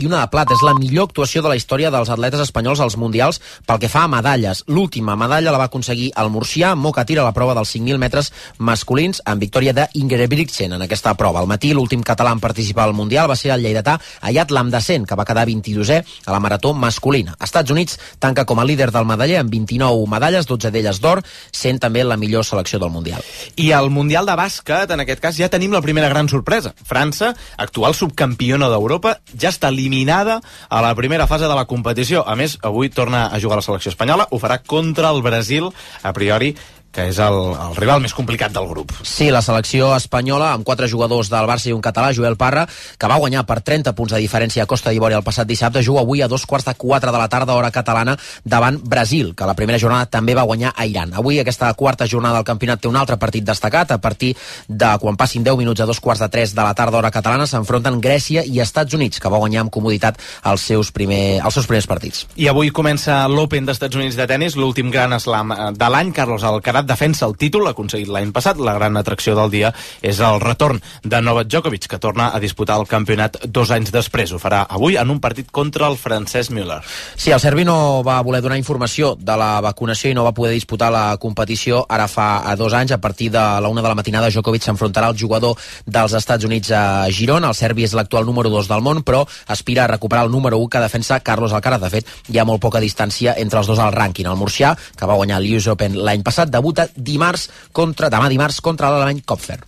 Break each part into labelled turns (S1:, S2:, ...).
S1: i una de plata. És la millor actuació de la història dels atletes espanyols als mundials pel que fa a medalles. L'última medalla la va aconseguir el murcià Mocatir a la prova dels 5.000 metres masculins en victòria d'Ingebrigtsen en aquesta prova. Al matí, l'últim català en participar al mundial va ser el lleidatà Ayat Lamdassen, que va quedar 22è a la marató masculina. Estats Units tanca com a líder del medaller amb 29 medalles, 12 d'elles d'or, sent també la millor selecció del mundial.
S2: I al Mundial de bàsquet, en aquest cas, ja tenim la primera gran sorpresa. França, actual subcampiona d'Europa, ja està eliminada a la primera fase de la competició. A més, avui torna a jugar la selecció espanyola, ho farà contra el Brasil, a priori, que és el rival més complicat del grup.
S1: Sí, la selecció espanyola, amb 4 jugadors del Barça i un català, Joel Parra, que va guanyar per 30 punts de diferència a Costa d'Ivori el passat dissabte, juga avui a 3:45 de la tarda, hora catalana, davant Brasil, que la primera jornada també va guanyar a Iran. Avui, aquesta quarta jornada del campionat té un altre partit destacat. A partir de quan passin 10 minuts a 2:45 de la tarda, hora catalana, s'enfronten Grècia i Estats Units, que va guanyar amb comoditat els seus primers partits.
S2: I avui comença l'Open d'Estats Units de tenis, l'últim gran slam de l'any. Carlos Alcaraz defensa el títol, aconseguit l'any passat. La gran atracció del dia és el retorn de Novak Djokovic, que torna a disputar el campionat 2 anys després. Ho farà avui en un partit contra el Francesc Müller.
S1: Sí, el serbi no va voler donar informació de la vacunació i no va poder disputar la competició ara fa 2 anys. A partir de la 1 de la matinada, Djokovic s'enfrontarà al jugador dels Estats Units a Girona. El serbi és l'actual número 2 del món, però aspira a recuperar el número 1 que defensa Carlos Alcaraz. De fet, hi ha molt poca distància entre els dos al rànquing. El murcià, que va guanyar l'US Open l'any passat, debuta demà dimarts contra l'alemany Kopfer.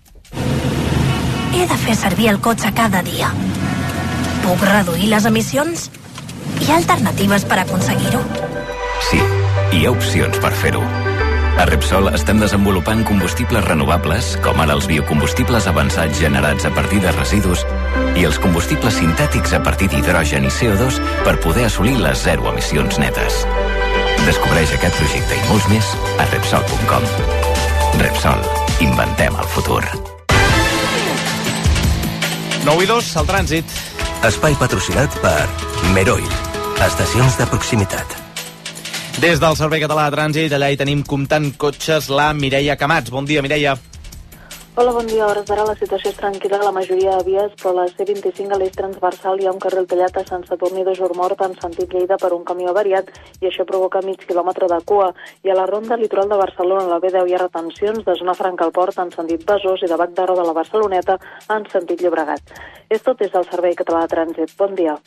S3: He de fer servir el cotxe cada dia. Puc reduir les emissions? Hi ha alternatives per aconseguir-ho?
S4: Sí, hi ha opcions per fer-ho. A Repsol estem desenvolupant combustibles renovables, com ara els biocombustibles avançats generats a partir de residus i els combustibles sintètics a partir d'hidrogen i CO2 per poder assolir les 0 emissions netes. Descobreix aquest projecte i molts més a Repsol.com. Repsol. Inventem el futur.
S2: 9:02, el trànsit.
S5: Espai patrocinat per Meroil. Estacions de proximitat.
S2: Des del Servei Català de Trànsit, allà hi tenim comptant cotxes la Mireia Camats. Bon dia, Mireia.
S6: Hola, bon dia. A hores d'ara la situació és tranquil·la a la majoria de vies, però a la C25 a l'eix transversal hi ha un carril tallat a Sant Sadurní de Jormort en sentit Lleida per un camió avariat i això provoca mig quilòmetre de cua. I a la ronda litoral de Barcelona, a la B10, hi ha retencions de zona Franca al Port en sentit Besòs i de Bac d'Arro de la Barceloneta en sentit Llobregat. És tot des del Servei Català de Trànsit. Bon dia.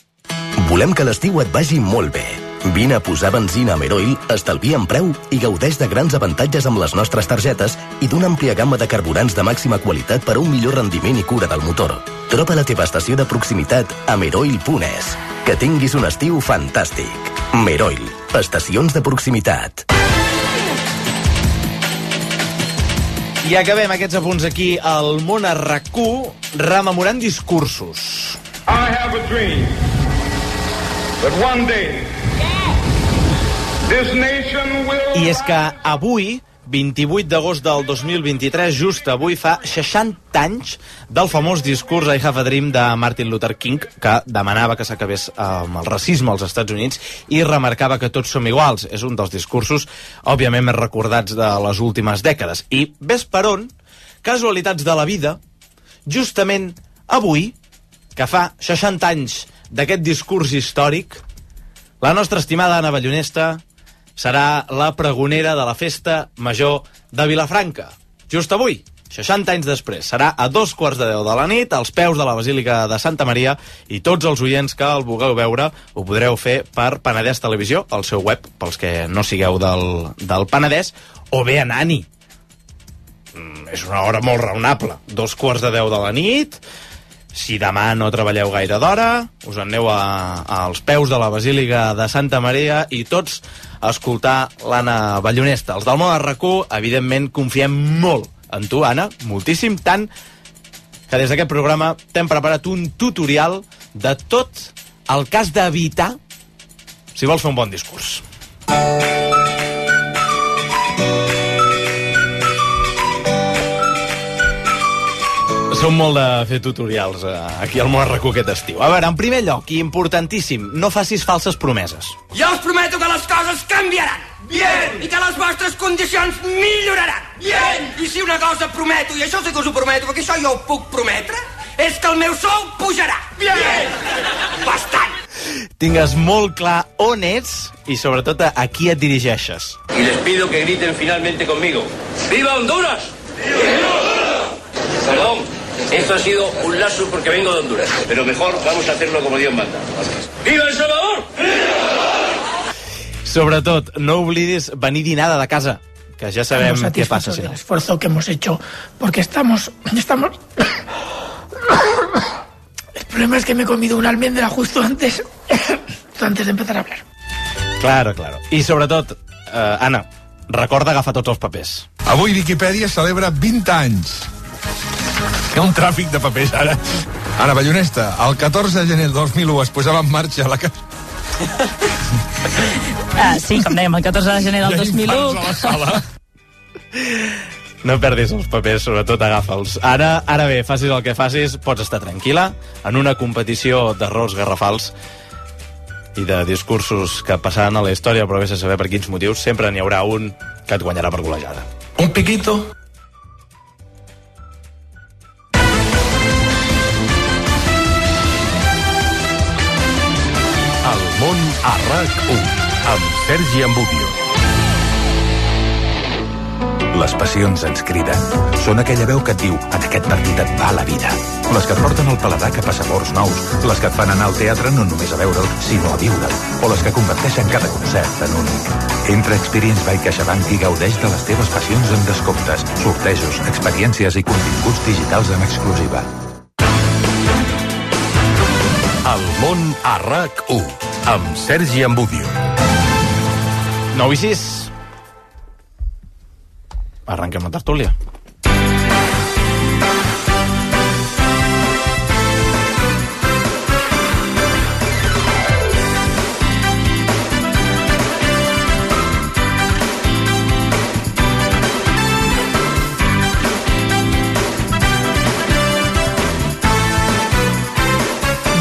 S5: Volem que l'estiu et vagi molt bé. Vine a posar benzina a Meroil, estalvia en preu i gaudeix de grans avantatges amb les nostres targetes i d'una àmplia gamma de carburants de màxima qualitat per a un millor rendiment i cura del motor. Troba la teva estació de proximitat a meroil.es. Que tinguis un estiu fantàstic. Meroil, estacions de proximitat.
S2: I acabem aquests apunts aquí al Món a RAC1 rememorant discursos.
S7: I have a dream that one day this nation will...
S2: I és que avui, 28 d'agost del 2023, just avui fa 60 anys del famós discurs I Have a Dream de Martin Luther King, que demanava que s'acabés amb el racisme als Estats Units i remarcava que tots som iguals. És un dels discursos, òbviament, més recordats de les últimes dècades. I ves per on, casualitats de la vida, justament avui, que fa 60 anys d'aquest discurs històric, la nostra estimada Anna Ballonesta serà la pregonera de la festa major de Vilafranca. Just avui, 60 anys després, serà a 2:15 de la nit, als peus de la Basílica de Santa Maria, i tots els oients que el vulgueu veure ho podreu fer per Penedès Televisió, al seu web, pels que no sigueu del Penedès, o bé a Nani. És una hora molt raonable, 2:15 de la nit. Si demà no treballeu gaire d'hora, us aneu als peus de la Basílica de Santa Maria i tots a escoltar l'Anna Ballonesta. Els del Món a RAC1, evidentment, confiem molt en tu, Anna, moltíssim, tant que des d'aquest programa t'hem preparat un tutorial de tot el que has d'evitar si vols fer un bon discurs. Som molt de fer tutorials aquí al Món a RAC1 aquest estiu. A veure, en primer lloc, i importantíssim, no facis falses promeses.
S8: Jo us prometo que les coses canviaran. Bien! I que les vostres condicions milloraran. Bien! I si una cosa prometo, i això sí que us ho prometo, perquè això jo ho puc prometre, és que el meu sou pujarà. Bien! Bastant!
S2: tingues molt clar on ets i sobretot a qui et dirigeixes.
S8: Y les pido que griten finalmente conmigo. ¡Viva Honduras! ¡Viva Honduras! Perdón, esto ha sido un lapsus porque vengo de Honduras. Pero mejor vamos a hacerlo como Dios manda. ¡Viva El Salvador!
S2: Sobretot, no oblidis venir dinada de casa, que ja sabem què passa.
S9: El esfuerzo que hemos hecho, porque estamos... El problema es que me he comido una almendra justo antes de empezar a hablar.
S2: Claro. I sobretot, Anna, recorda agafar tots els papers.
S10: Avui Viquipèdia celebra 20 anys. Hi ha un tràfic de papers ara. Anna Ballonesta, el 14 de gener del 2001 es posava en marxa la...
S11: Sí, com dèiem, el 14 de gener del 2001.
S2: No perdis els papers, sobretot agafa'ls. Ara bé, facis el que facis, pots estar tranquil·la en una competició d'errors garrafals i de discursos que passaran a la història, però vés a saber per quins motius, sempre n'hi haurà un que et guanyarà per golejada.
S10: Un piquito.
S12: El món a RAC1 amb Sergi Ambudio. Les passions ens criden. Són aquella veu que et diu en aquest partit et va la vida. Les que et porten el paladar cap a sabors nous. Les que et fan anar al teatre no només a veure'l, sinó a viure'l. O les que converteixen cada concert en únic. Entra a Experience by CaixaBank i gaudeix de les teves passions amb descomptes, sortejos, experiències i continguts digitals en exclusiva. El món a RAC1 amb Sergi Ambudio.
S2: 9:06. Arrenquem la tertúlia.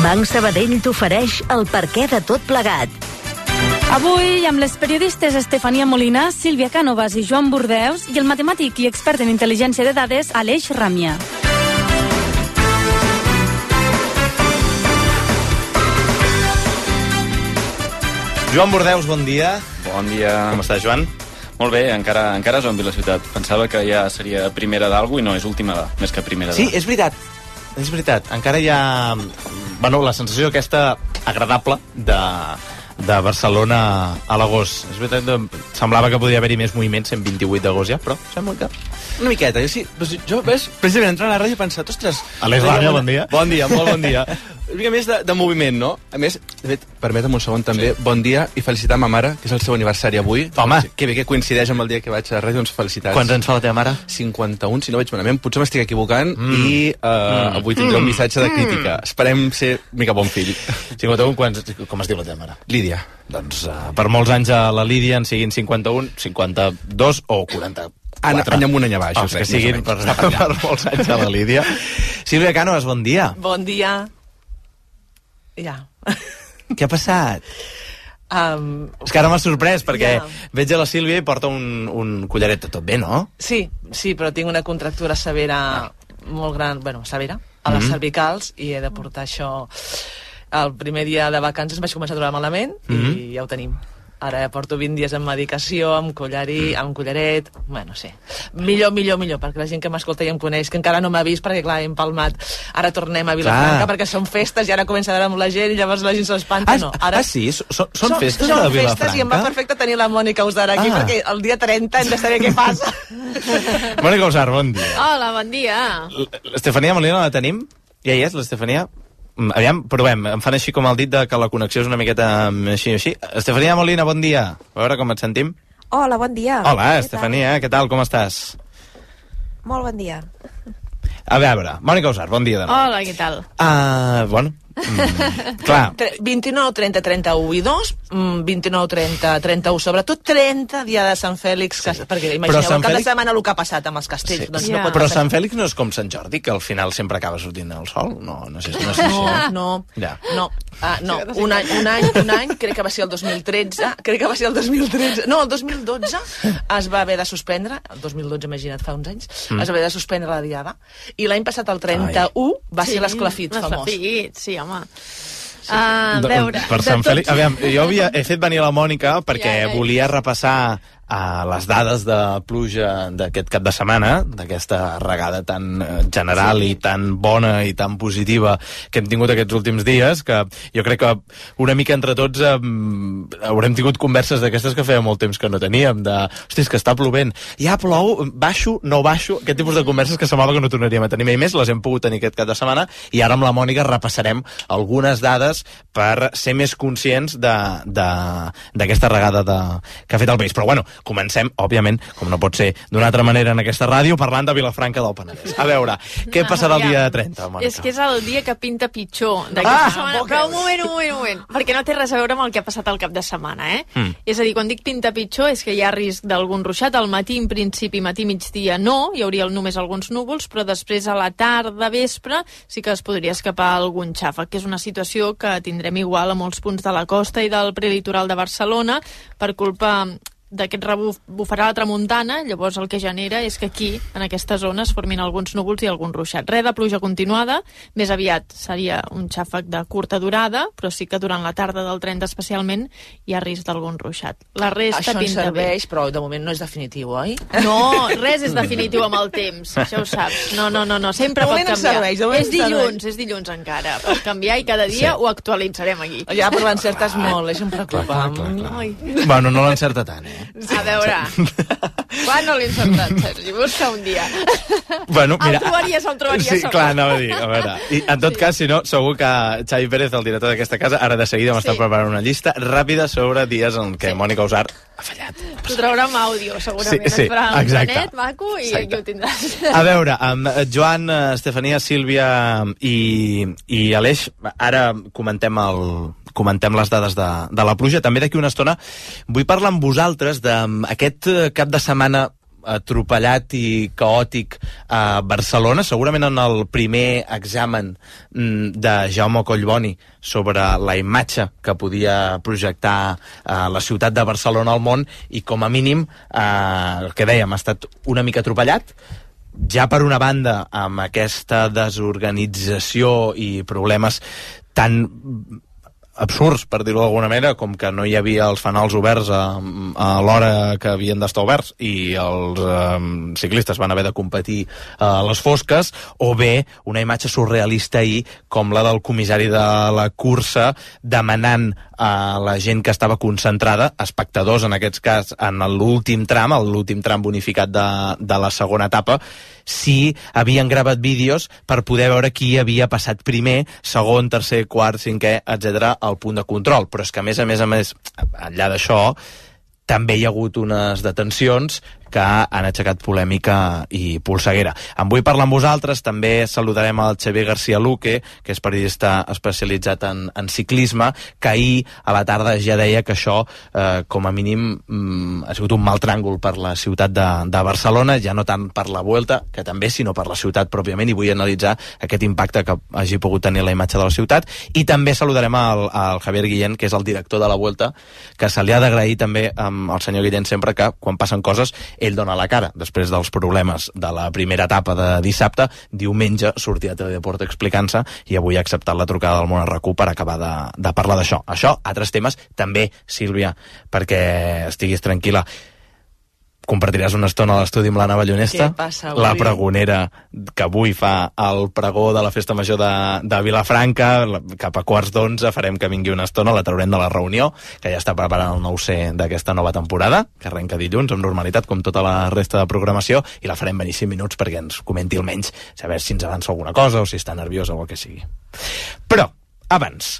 S13: Banc Sabadell t'ofereix el perquè de tot plegat.
S14: Avui, amb les periodistes Estefania Molina, Sílvia Cànovas i Joan Burdeus i el matemàtic i expert en intel·ligència de dades, Aleix Ràmia.
S2: Joan Burdeus, bon dia.
S15: Bon dia.
S2: Com estàs, Joan?
S15: Molt bé, encara zombi la ciutat. Pensava que ja seria primera d'algú i no, és última més que primera
S2: Sí, és veritat. És veritat. Encara hi ha... Bueno, la sensació aquesta agradable de Barcelona a l'agost. És veritat, semblava que podria haver-hi més moviments en 28 d'agost ja, però sembla que... Una miqueta. Jo, ves, precisament entrant a la ràdio he pensat, ostres... Aleix Ràmia, bon dia.
S16: Bon dia, molt bon dia. Una mica més de moviment, no? A més, de fet, permetem un segon també, bon dia i felicitar ma mare, que és el seu aniversari avui.
S2: Home!
S16: Que bé que coincideix amb el dia que vaig a la ràdio, doncs felicitats.
S2: Quants anys fa la teva mare?
S16: 51, si no veig malament. Potser m'estic equivocant i avui tindré un missatge de crítica. Esperem ser un mica bon fill.
S2: 51, com es diu la teva mare?
S16: Lídia.
S2: Doncs per molts anys a la Lídia en siguin 51, 52 o 40.
S16: Any amunt, any avall.
S2: Que siguin per molts anys a la Lídia. Sílvia Cànovas, bon dia.
S17: Bon dia. Ja.
S2: Què ha passat? És que ara m'ha sorprès, perquè veig a la Sílvia i porta un collaret de tot bé, no?
S17: Sí, però tinc una contractura severa, molt gran, severa, a les cervicals, i he de portar això. El primer dia de vacances vaig començar a trobar malament i ja ho tenim. Ara ja porto 20 dies amb medicació, amb collaret, sí. Millor, perquè la gent que m'escolta ja em coneix, que encara no m'ha vist, perquè clar, hem palmat. Ara tornem a Vilafranca, perquè són festes, i ara comença a veure amb la gent, i llavors la gent s'espanta, no.
S2: Sí? Són festes a Vilafranca?
S17: Són festes, i em va perfecte tenir la Mònica Usar aquí, perquè el dia 30 hem de saber què passa.
S2: Mònica Usar, bon dia.
S18: Hola, bon dia.
S2: L'Estefania Molina la tenim? Ja hi és, l'Estefania? Aviam, provem, em fan així com el dit de que la connexió és una miqueta així. Estefania Molina, bon dia. A veure com et sentim.
S19: Hola, bon dia.
S2: Hola, Estefania, què tal, com estàs?
S19: Molt bon dia.
S2: A veure, Mònica Usar, bon dia de nou.
S18: Hola, què tal?
S2: Clar.
S17: 29, 30, 31 i 2, 29, 30, 31, sobretot 30, dia de Sant Fèlix, perquè imagineu el cap de setmana el que ha passat amb els castells.
S2: Però Sant Fèlix no és com Sant Jordi, que al final sempre acaba sortint el sol? No sé si
S17: No. Un any, crec que va ser el 2013, no, el 2012 es va haver de suspendre, el 2012, imagina't, fa uns anys, es va haver de suspendre la diada, i l'any passat, el 31, va ser l'esclafit famós.
S18: Sí, home.
S14: A veure...
S2: Per Sant Fèlix... Aviam, jo he fet venir la Mònica perquè volia repassar les dades de pluja d'aquest cap de setmana, d'aquesta regada tan general i tan bona i tan positiva que hem tingut aquests últims dies, que jo crec que una mica entre tots haurem tingut converses d'aquestes que feia molt temps que no teníem, de, hosti, és que està plovent, ja plou, baixo, no baixo, aquest tipus de converses que semblava que no tornaríem a tenir mai més, les hem pogut tenir aquest cap de setmana, i ara amb la Mònica repassarem algunes dades per ser més conscients d'aquesta regada que ha fet el país. Però bueno, comencem, òbviament, com no pot ser d'una altra manera en aquesta ràdio, parlant de Vilafranca del Penedès. A veure, què passarà el dia 30, Mònica?
S18: És que és el dia que pinta pitjor d'aquesta setmana. Però un moment, perquè no té res a veure amb el que ha passat el cap de setmana, És a dir, quan dic pinta pitjor és que hi ha risc d'algun ruixat. Al matí, en principi, matí-migdia no, hi hauria només alguns núvols, però després a la tarda, vespre, sí que es podria escapar algun xàfec, que és una situació que tindrem igual a molts punts de la costa i del prelitoral de Barcelona per culpa d'aquest rebuf bufarà la tramuntana. Llavors el que genera és que aquí, en aquesta zona, es formin alguns núvols i algun ruixat. Res de pluja continuada, més aviat seria un xàfec de curta durada, però sí que durant la tarda del 30 especialment hi ha risc d'algun ruixat. La resta
S17: això
S18: pinta
S17: serveix,
S18: bé.
S17: Però de moment no és definitiu, oi?
S18: No, res és definitiu amb el temps, això ho saps. No, sempre pot canviar. És dilluns encara, pot canviar i cada dia ho actualitzarem aquí.
S17: Ja, però l'encertes molt, això em preocupa.
S2: Bueno, no l'encerta tant,
S18: A veure, quan no l'he encertat, Sergi? Busca un dia.
S2: Bueno, mira,
S18: el trobaries
S2: sí, clar, anava a dir, a veure. I en tot cas, si no, segur que Xavi Pérez, el director d'aquesta casa, ara de seguida m'està preparant una llista ràpida sobre dies en què Mònica Usart ha fallat.
S18: T'ho traurà amb àudio, segurament.
S2: Sí,
S18: et farà un
S2: exacte.
S18: planet maco i aquí ho tindràs.
S2: A veure, amb Joan, Estefania, Sílvia i Aleix, ara comentem les dades de la pluja. També d'aquí una estona vull parlar amb vosaltres d'aquest cap de setmana atropellat i caòtic a Barcelona, segurament en el primer examen de Jaume Collboni sobre la imatge que podia projectar la ciutat de Barcelona al món, i com a mínim el que dèiem, ha estat una mica atropellat, ja per una banda amb aquesta desorganització i problemes tan absurds, per dir-ho d'alguna manera, com que no hi havia els fanals oberts a l'hora que havien d'estar oberts i els ciclistes van haver de competir a les fosques, o bé una imatge surrealista ahir com la del comissari de la cursa demanant a la gent que estava concentrada, espectadors en aquest cas, en l'últim tram bonificat de la segona etapa, si havien gravat vídeos per poder veure qui havia passat primer, segon, tercer, quart, cinquè, etc. al punt de control. Però és que a més, enllà d'això, també hi ha hagut unes detencions que han aixecat polèmica i polseguera. En vull parlar amb vosaltres, també saludarem el Xavier García Luque, que és periodista especialitzat en ciclisme, que ahir a la tarda ja deia que això, com a mínim, ha sigut un mal tràngol per la ciutat de Barcelona, ja no tant per la Vuelta, que també, sinó per la ciutat pròpiament, i vull analitzar aquest impacte que hagi pogut tenir la imatge de la ciutat. I també saludarem al Javier Guillén, que és el director de la Vuelta, que se li ha d'agrair també al senyor Guillén sempre que, quan passen coses, ell dona la cara. Després dels problemes de la primera etapa de dissabte, diumenge sortia a Teledeport explicant-se, i avui ha acceptat la trucada del Món RQ per acabar de parlar d'això. Això, altres temes, també, Sílvia, perquè estiguis tranquil·la. Compartiràs una estona a l'estudi amb l'Anna Ballonesta,
S17: què passa avui?
S2: La pregonera que avui fa el pregó de la Festa Major de Vilafranca. Cap a 11:15 farem que vingui una estona, la traurem de la reunió, que ja està preparant el 9C d'aquesta nova temporada, que arrenca dilluns amb normalitat, com tota la resta de programació, i la farem venir 5 minuts perquè ens comenti almenys, saber si ens avança alguna cosa o si està nerviosa o el que sigui. Però, abans,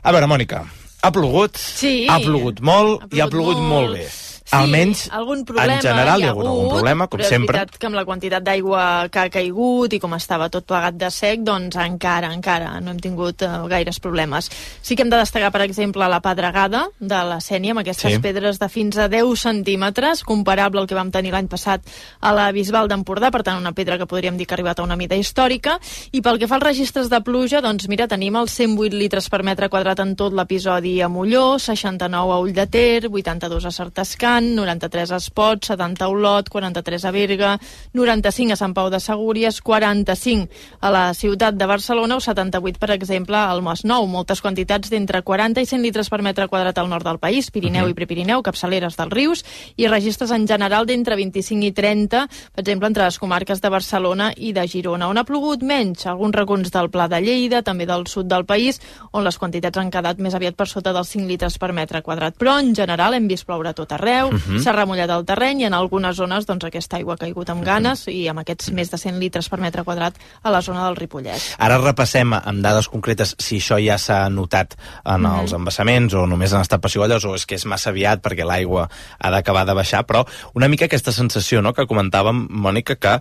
S2: a veure, Mònica, ha plogut,
S18: sí,
S2: ha plogut molt i ha plogut molt bé.
S18: Sí,
S2: almenys,
S18: algun problema
S2: en general hi ha hagut algun problema, com sempre.
S18: Però és veritat que amb la quantitat d'aigua que ha caigut i com estava tot plegat de sec, doncs encara no hem tingut gaires problemes. Sí que hem de destacar, per exemple, la pedregada de la Sénia, amb aquestes pedres de fins a 10 centímetres, comparable al que vam tenir l'any passat a la Bisbal d'Empordà, per tant, una pedra que podríem dir que ha arribat a una mida històrica. I pel que fa als registres de pluja, doncs mira, tenim els 108 litres per metre quadrat en tot l'episodi a Molló, 69 a Ull de Ter, 82 a Sartascana, Montblanc, 93 a Espot, 70 a Olot, 43 a Berga, 95 a Sant Pau de Segúries, 45 a la ciutat de Barcelona o 78, per exemple, al Masnou. Moltes quantitats d'entre 40 i 100 litres per metre quadrat al nord del país, Pirineu i Prepirineu, capçaleres dels rius, i registres en general d'entre 25 i 30, per exemple, entre les comarques de Barcelona i de Girona. On ha plogut menys? Alguns racons del Pla de Lleida, també del sud del país, on les quantitats han quedat més aviat per sota dels 5 litres per metre quadrat. Però, en general, hem vist ploure a tot arreu, s'ha remullat el terreny i en algunes zones doncs, aquesta aigua ha caigut amb ganes i amb aquests més de 100 litres per metre quadrat a la zona del Ripollès.
S2: Ara repassem amb dades concretes si això ja s'ha notat en els embassaments o només han estat pessigolles o és que és massa aviat perquè l'aigua ha d'acabar de baixar, però una mica aquesta sensació, no?, que comentàvem, Mònica, que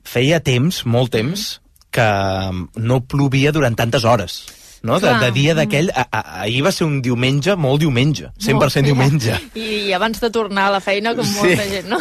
S2: feia temps, molt temps, que no plovia durant tantes hores. No? De dia d'aquell, ahir va ser un diumenge, molt diumenge, 100% diumenge.
S18: I abans de tornar a la feina, com molta gent, no?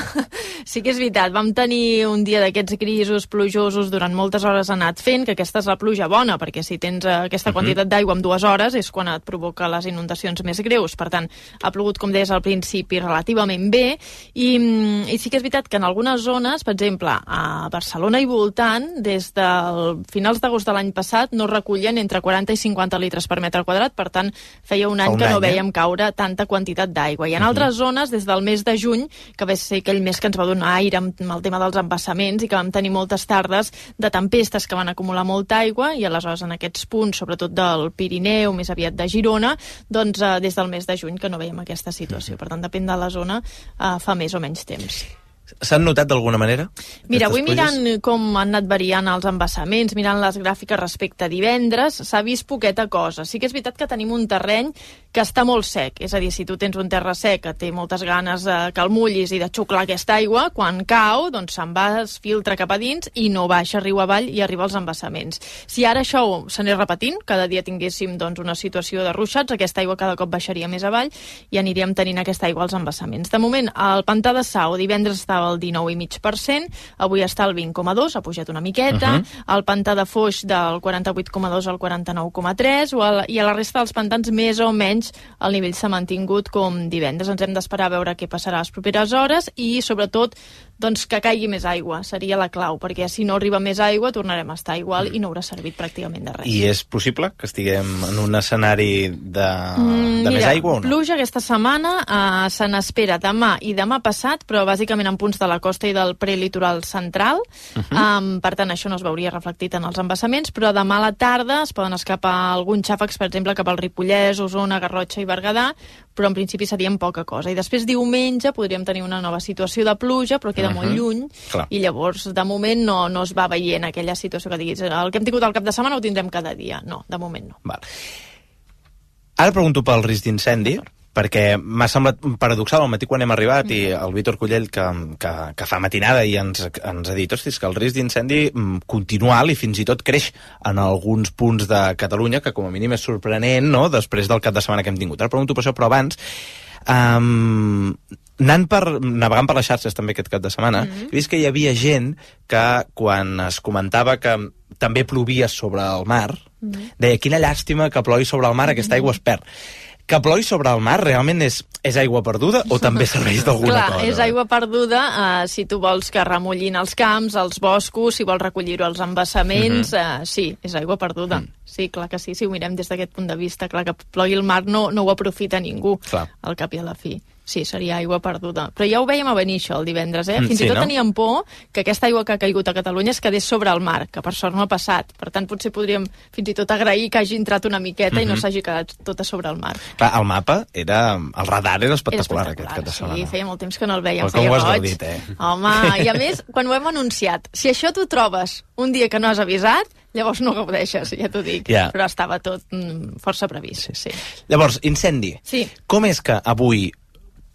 S18: Sí que és veritat, vam tenir un dia d'aquests grisos, plujosos, durant moltes hores ha anat fent, que aquesta és la pluja bona, perquè si tens aquesta quantitat d'aigua en 2 hores és quan et provoca les inundacions més greus. Per tant, ha plogut, com deies al principi, relativament bé, i sí que és veritat que en algunes zones, per exemple, a Barcelona i voltant, des del finals d'agost de l'any passat, no recollien entre 40 i 50 litres per metre quadrat, per tant, feia un any que no vèiem caure tanta quantitat d'aigua. I en altres zones, des del mes de juny, que va ser aquell mes que ens va donar aire amb el tema dels embassaments i que vam tenir moltes tardes de tempestes que van acumular molta aigua, i aleshores en aquests punts, sobretot del Pirineu, més aviat de Girona, doncs des del mes de juny que no veiem aquesta situació. Per tant, depèn de la zona, fa més o menys temps.
S2: S'han notat d'alguna manera?
S18: Mira, avui mirant com han anat variant els embassaments, mirant les gràfiques respecte a divendres, s'ha vist poqueta cosa. Sí que és veritat que tenim un terreny que està molt sec, és a dir, si tu tens un terra sec que té moltes ganes que el mullis i de xuclar aquesta aigua, quan cau, doncs se'n va, es filtra cap a dins i no baixa riu avall i arriba als embassaments. Si ara això s'anés repetint, cada dia tinguéssim doncs, una situació de ruixats, aquesta aigua cada cop baixaria més avall i aniríem tenint aquesta aigua als embassaments. De moment, el pantà de Sau divendres estava al 19,5%, avui està al 20,2%, ha pujat una miqueta, el pantà de Foix del 48,2 al 49,3, i a la resta dels pantans més o menys el nivell s'ha mantingut com divendres. Ens hem d'esperar a veure què passarà a les properes hores i, sobretot, doncs que caigui més aigua, seria la clau, perquè si no arriba més aigua tornarem a estar igual i no haurà servit pràcticament de res.
S2: I és possible que estiguem en un escenari de més aigua o no?
S18: Pluja aquesta setmana se n'espera demà i demà passat, però bàsicament en punts de la costa i del prelitoral central. Per tant, això no es veuria reflectit en els embassaments, però demà a la tarda es poden escapar alguns xàfecs, per exemple, cap al Ripollès, Osona, Garrotxa i Berguedà, però en principi serien poca cosa. I després diumenge podríem tenir una nova situació de pluja, però queda molt lluny, i llavors de moment no es va veient aquella situació que diguis el que hem tingut al cap de setmana ho tindrem cada dia. No, de moment no.
S2: Val. Ara pregunto pel risc d'incendi, perquè m'ha semblat paradoxal al matí quan hem arribat i el Víctor Cullell que fa matinada i ens ha dit, hostis, que el risc d'incendi continua alt i fins i tot creix en alguns punts de Catalunya, que com a mínim és sorprenent, no?, després del cap de setmana que hem tingut. Ara pregunto per això, però abans navegant per les xarxes també aquest cap de setmana, he vist que hi havia gent que quan es comentava que també plovia sobre el mar, deia, quina llàstima que plogui sobre el mar, aquesta aigua es perd. Que plogui sobre el mar realment és aigua perduda o també serveix d'alguna cosa?
S18: Clar, és aigua perduda si tu vols que remullin els camps, els boscos, si vols recollir-ho als embassaments, sí, és aigua perduda. Sí, clar que sí, si ho mirem des d'aquest punt de vista, clar que plogui el mar no ho aprofita ningú, al cap i a la fi. Sí, seria aigua perduda. Però ja ho vèiem a venir això el divendres, Fins i tot teníem por que aquesta aigua que ha caigut a Catalunya es quedés sobre el mar, que per sort no ha passat. Per tant, potser podríem fins i tot agrair que hagi entrat una miqueta i no s'hagi quedat tota sobre el mar.
S2: Clar, el mapa el radar era espectacular aquest cap de setmana.
S18: Sí, feia molt temps que no el vèiem,
S2: feia
S18: roig.
S2: Com ho has gaudit,
S18: Home, i a més, quan ho hem anunciat, si això t'ho trobes un dia que no has avisat, llavors no gaudeixes, ja t'ho dic. Però estava tot força previst. Sí.
S2: Llavors, incendi.
S18: Sí.
S2: Com és que avui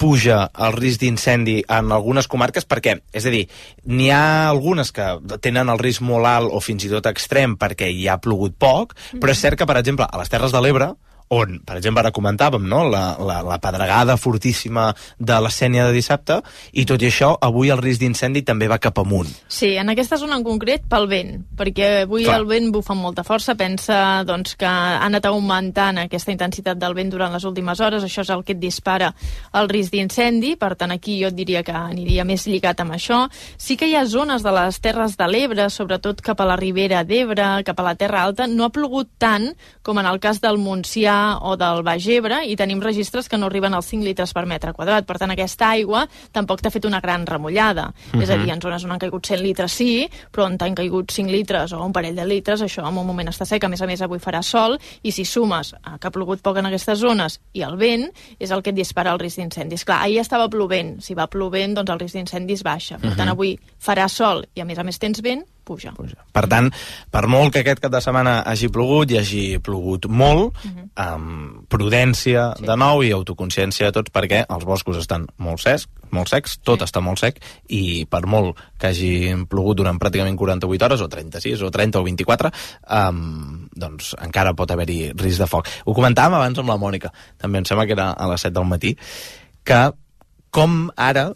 S2: puja el risc d'incendi en algunes comarques? Perquè, és a dir, n'hi ha algunes que tenen el risc molt alt o fins i tot extrem perquè hi ha plogut poc, però és cert que, per exemple, a les Terres de l'Ebre, on, per exemple, ara comentàvem, no? la pedregada fortíssima de la Sénia de dissabte, i tot i això, avui el risc d'incendi també va cap amunt.
S18: Sí, en aquesta zona en concret pel vent, perquè avui el vent bufa amb molta força, pensa doncs, que ha anat augmentant aquesta intensitat del vent durant les últimes hores, això és el que et dispara el risc d'incendi, per tant aquí jo et diria que aniria més lligat amb això. Sí que hi ha zones de les Terres de l'Ebre, sobretot cap a la Ribera d'Ebre, cap a la Terra Alta, no ha plogut tant com en el cas del Montsià o del Baix Ebre, i tenim registres que no arriben als 5 litres per metre quadrat. Per tant, aquesta aigua tampoc t'ha fet una gran remullada. És a dir, en zones on han caigut 100 litres sí, però on t'han caigut 5 litres o un parell de litres, això en un moment està sec. A més, avui farà sol, i si sumes que ha plogut poc en aquestes zones i el vent, és el que et dispara el risc d'incendis. Clar, ahir estava plovent. Si va plovent, doncs el risc d'incendis baixa. Per tant, avui farà sol i a més tens vent, puja.
S2: Per tant, per molt que aquest cap de setmana hagi plogut, i hagi plogut molt, amb prudència de nou i autoconsciència de tots, perquè els boscos estan molt secs, tot està molt sec, i per molt que hagi plogut durant pràcticament 48 hores, o 36, o 30, o 24, doncs encara pot haver-hi risc de foc. Ho comentàvem abans amb la Mònica, també em sembla que era a les 7 del matí, que com ara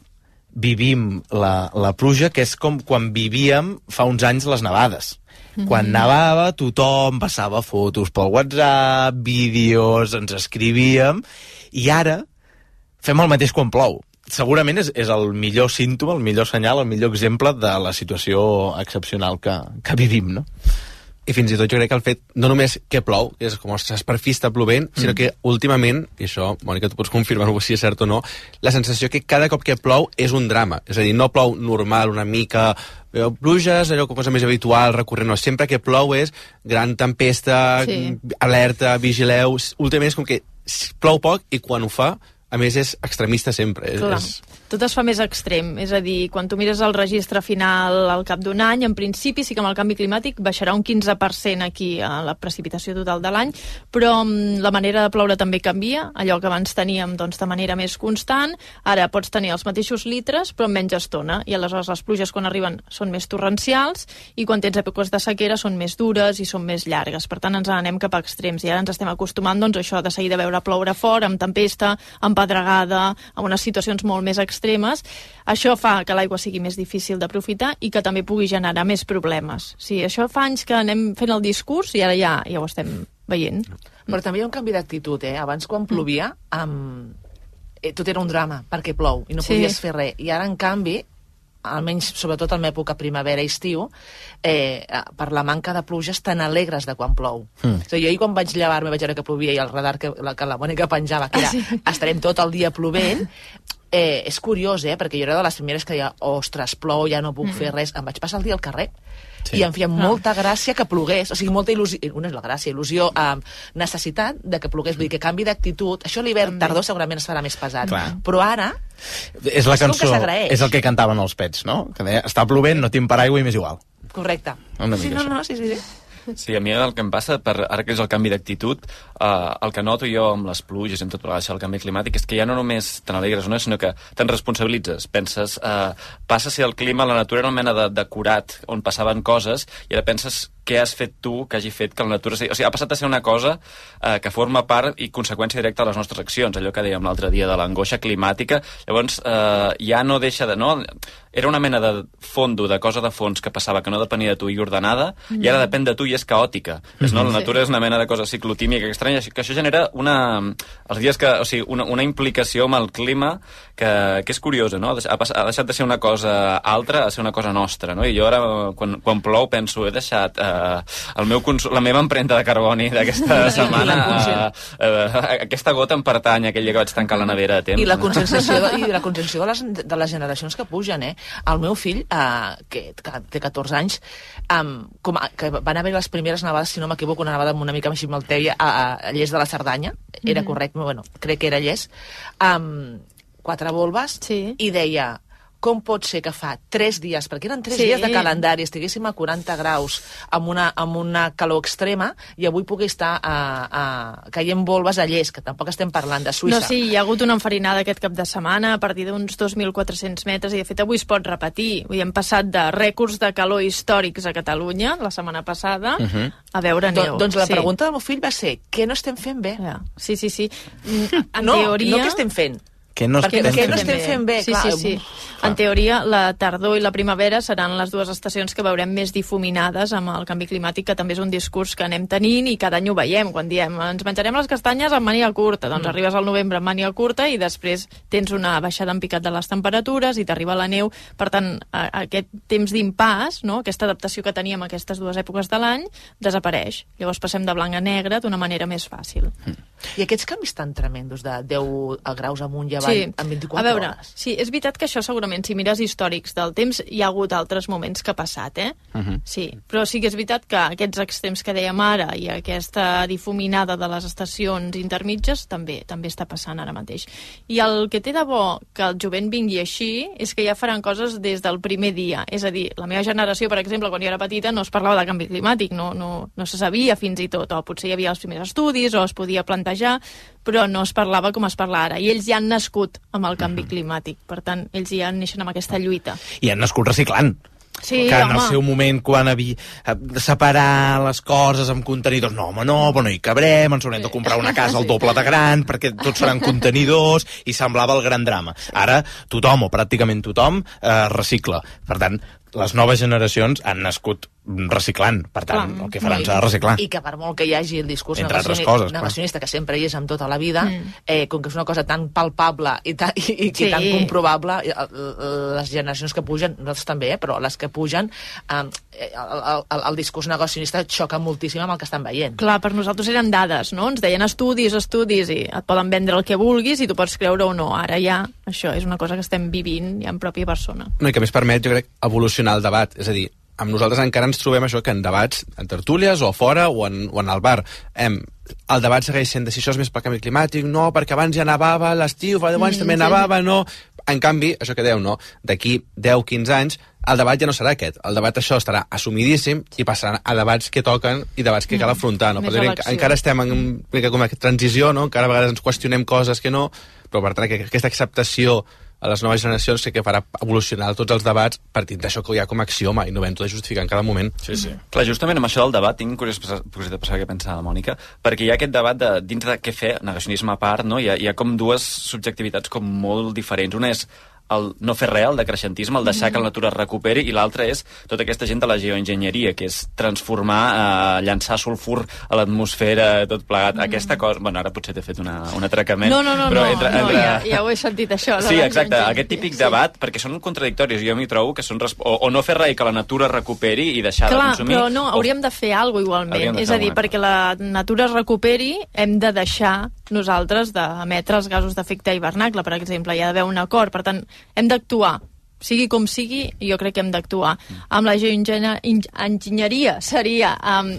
S2: vivim la pluja, que és com quan vivíem fa uns anys les nevades. Quan nevava, tothom passava fotos pel WhatsApp, vídeos, ens escrivíem, i ara fem el mateix quan plou. Segurament és el millor símptoma, el millor senyal, el millor exemple de la situació excepcional que vivim, no?
S16: I fins i tot jo crec que el fet, no només que plou, és com, ostres, per fi està plovent, sinó que últimament, i això, Mònica, tu pots confirmar-ho si és cert o no, la sensació que cada cop que plou és un drama. És a dir, no plou normal, una mica pluges, allò cosa més habitual, recurrent, no. Sempre que plou és gran tempesta, alerta, vigileu. Últimament és com que plou poc i quan ho fa, a més és extremista sempre.
S18: Clar. Tot es fa més extrem, és a dir, quan tu mires el registre final al cap d'un any, en principi sí que amb el canvi climàtic baixarà un 15% aquí a la precipitació total de l'any, però la manera de ploure també canvia, allò que abans teníem doncs, de manera més constant, ara pots tenir els mateixos litres però en menys estona, i aleshores les pluges quan arriben són més torrencials, i quan tens èpoques de sequera són més dures i són més llargues, per tant ens anem cap a extrems, i ara ens estem acostumant doncs, a això de seguida veure ploure fort, amb tempesta, amb pedregada, amb unes situacions molt més extremes. Això fa que l'aigua sigui més difícil d'aprofitar i que també pugui generar més problemes. Sí, això fa anys que anem fent el discurs i ara ja ho estem veient.
S17: Però també hi ha un canvi d'actitud, Abans, quan plovia, tot era un drama, perquè plou, i no podies fer res. I ara, en canvi, almenys sobretot en l'època primavera-estiu, per la manca de pluges tan alegres de quan plou. És a dir, jo ahir quan vaig llevar-me vaig veure que plovia i el radar que la Mònica penjava, que era estarem tot el dia plovent, és curiós, perquè jo era de les primeres que deia, ostres, plou, ja no puc fer res. Em vaig passar el dia al carrer i em feia molta gràcia que plogués, o sigui, molta il·lusió, una és la gràcia, il·lusió, necessitat de que plogués, vull dir que canvi d'actitud, això l'hivern tardor segurament es farà més pesat, però ara
S2: és la cançó, és el que cantaven els Pets, no? Que deia, està plovent, no tinc paraigua i m'és igual.
S17: Correcte. Sí.
S15: Sí, a mi el que em passa, ara que és el canvi d'actitud, el que noto jo amb les pluges i amb tot el canvi climàtic és que ja no només te n'alegres o no, sinó que te'n responsabilitzes. Penses, passa si el clima, la natura era una mena de curat on passaven coses, i ara penses què has fet tu que hagi fet que la natura... O sigui, ha passat a ser una cosa que forma part i conseqüència directa de les nostres accions, allò que dèiem l'altre dia de l'angoixa climàtica. Llavors, ja no deixa de... No? Era una mena de fondo, de cosa de fons que passava, que no depenia de tu i ordenada, i ara depèn de tu i és caòtica. La natura és una mena de cosa ciclotímica estranya, que això genera els dies que, o sigui, una implicació amb el clima que és curiosa, no? Ha deixat de ser una cosa altra a ser una cosa nostra, no? I jo ara, quan plou, penso, he deixat la meva empremta de carboni d'aquesta setmana, aquesta gota em pertany a aquell dia que vaig tancar la nevera a temps.
S17: I la conscienciació de les generacions que pugen, El meu fill, que té 14 anys, que van haver les primeres nevades, si no m'equivoco, una nevada una mica així malteia a Lles de la Cerdanya, era correcte, bueno, crec que era Lles, 4 volves, i deia, com pot ser que fa 3 dies, perquè eren 3 dies de calendari, estiguéssim a 40 graus amb una calor extrema i avui pugui estar caient volves a Llers, que tampoc estem parlant de Suïssa.
S14: No, sí, hi ha hagut una enfarinada aquest cap de setmana a partir d'uns 2.400 metres i de fet avui es pot repetir. Avui hem passat de rècords de calor històrics a Catalunya la setmana passada a veure neu.
S17: Doncs la pregunta del meu fill va ser: què no estem fent bé?
S14: Sí. En
S17: no,
S14: teoria...
S17: no què estem fent.
S2: Què no estem
S17: fent bé?
S14: Sí,
S17: clar.
S14: sí. En teoria, la tardor i la primavera seran les dues estacions que veurem més difuminades amb el canvi climàtic, que també és un discurs que anem tenint i cada any ho veiem. Quan diem ens menjarem les castanyes amb màniga curta, doncs arribes al novembre amb màniga curta i després tens una baixada en picat de les temperatures i t'arriba la neu. Per tant, aquest temps d'impàs, no? Aquesta adaptació que teníem a aquestes dues èpoques de l'any, desapareix. Llavors passem de blanc a negre d'una manera més fàcil.
S17: I aquests canvis tan tremendos de 10 graus amunt i avall en 24 hores.
S14: Sí, és veritat que això segurament, si mires històrics del temps, hi ha hagut altres moments que ha passat, Sí, però sí que és veritat que aquests extrems que dèiem ara i aquesta difuminada de les estacions intermitges també està passant ara mateix. I el que té de bo que el jovent vingui així és que ja faran coses des del primer dia. És a dir, la meva generació, per exemple, quan jo era petita, no es parlava de canvi climàtic, no se sabia fins i tot, o potser hi havia els primers estudis, o es podia plantejar, però no es parlava com es parla ara. I ells ja han nascut amb el canvi climàtic. Per tant, ells ja neixen amb aquesta lluita.
S2: I han nascut reciclant.
S14: Sí,
S2: que en el seu moment, quan havia de separar les coses amb contenidors, no, però no hi cabrem, ens haurem de comprar una casa al doble de gran, perquè tots seran contenidors, i semblava el gran drama. Ara, tothom, o pràcticament tothom, recicla. Per tant, les noves generacions han nascut reciclant, per tant, el que faran serà reciclar.
S17: I que per molt que hi hagi el discurs
S2: negacionista,
S17: que sempre hi és amb tota la vida, com que és una cosa tan palpable i tan comprovable, les generacions que pugen, nosaltres també, però les que pugen, el discurs negacionista xoca moltíssim amb el que estan veient.
S14: Clar, per nosaltres eren dades, no? Ens deien estudis, i et poden vendre el que vulguis i tu pots creure o no. Ara ja, això és una cosa que estem vivint ja en pròpia persona.
S16: No, i que més permet, jo crec, evolucionar el debat. És a dir, amb nosaltres encara ens trobem això que en debats, en tertúlies o fora o en el bar, el debat segueix sent de si això és més pel canvi climàtic, no, perquè abans ja nevava a l'estiu, fa 10 anys també nevava, no. En canvi, això que deu, no, d'aquí 10-15 anys, el debat ja no serà aquest. El debat això estarà assumidíssim i passaran a debats que toquen i debats que cal afrontar, no? Encara estem en una transició, no? Encara a vegades ens qüestionem coses que no, però per tant aquesta acceptació a les noves generacions sé que farà evolucionar tots els debats partint d'això que hi ha com a axioma i no vam tot de justificar en cada moment.
S15: Sí. Clar, justament amb això del debat tinc curiositat per saber què pensa la Mònica, perquè hi ha aquest debat dins de què fer, negacionisme a part, no? Hi ha com dues subjectivitats com molt diferents. Una és el no fer res, el decreixentisme, el deixar que la natura es recuperi, i l'altre és tota aquesta gent de la geoenginyeria, que és transformar, llançar sulfur a l'atmosfera, tot plegat. Aquesta cosa... Bueno, ara potser t'he fet un atracament.
S14: No, ja ho he sentit, això.
S15: Sí, exacte, aquest típic debat, perquè són contradictoris, jo m'hi trobo que són... O no fer res i que la natura es recuperi i deixar de consumir...
S14: Clar, però no, hauríem de fer alguna cosa igualment. És a dir, perquè la natura es recuperi, hem de deixar nosaltres d'emetre els gasos d'efecte hivernacle, per exemple. Hi ha d'haver un acord, per tant, hem d'actuar. Sigui com sigui, jo crec que hem d'actuar. Amb la geoenginyeria seria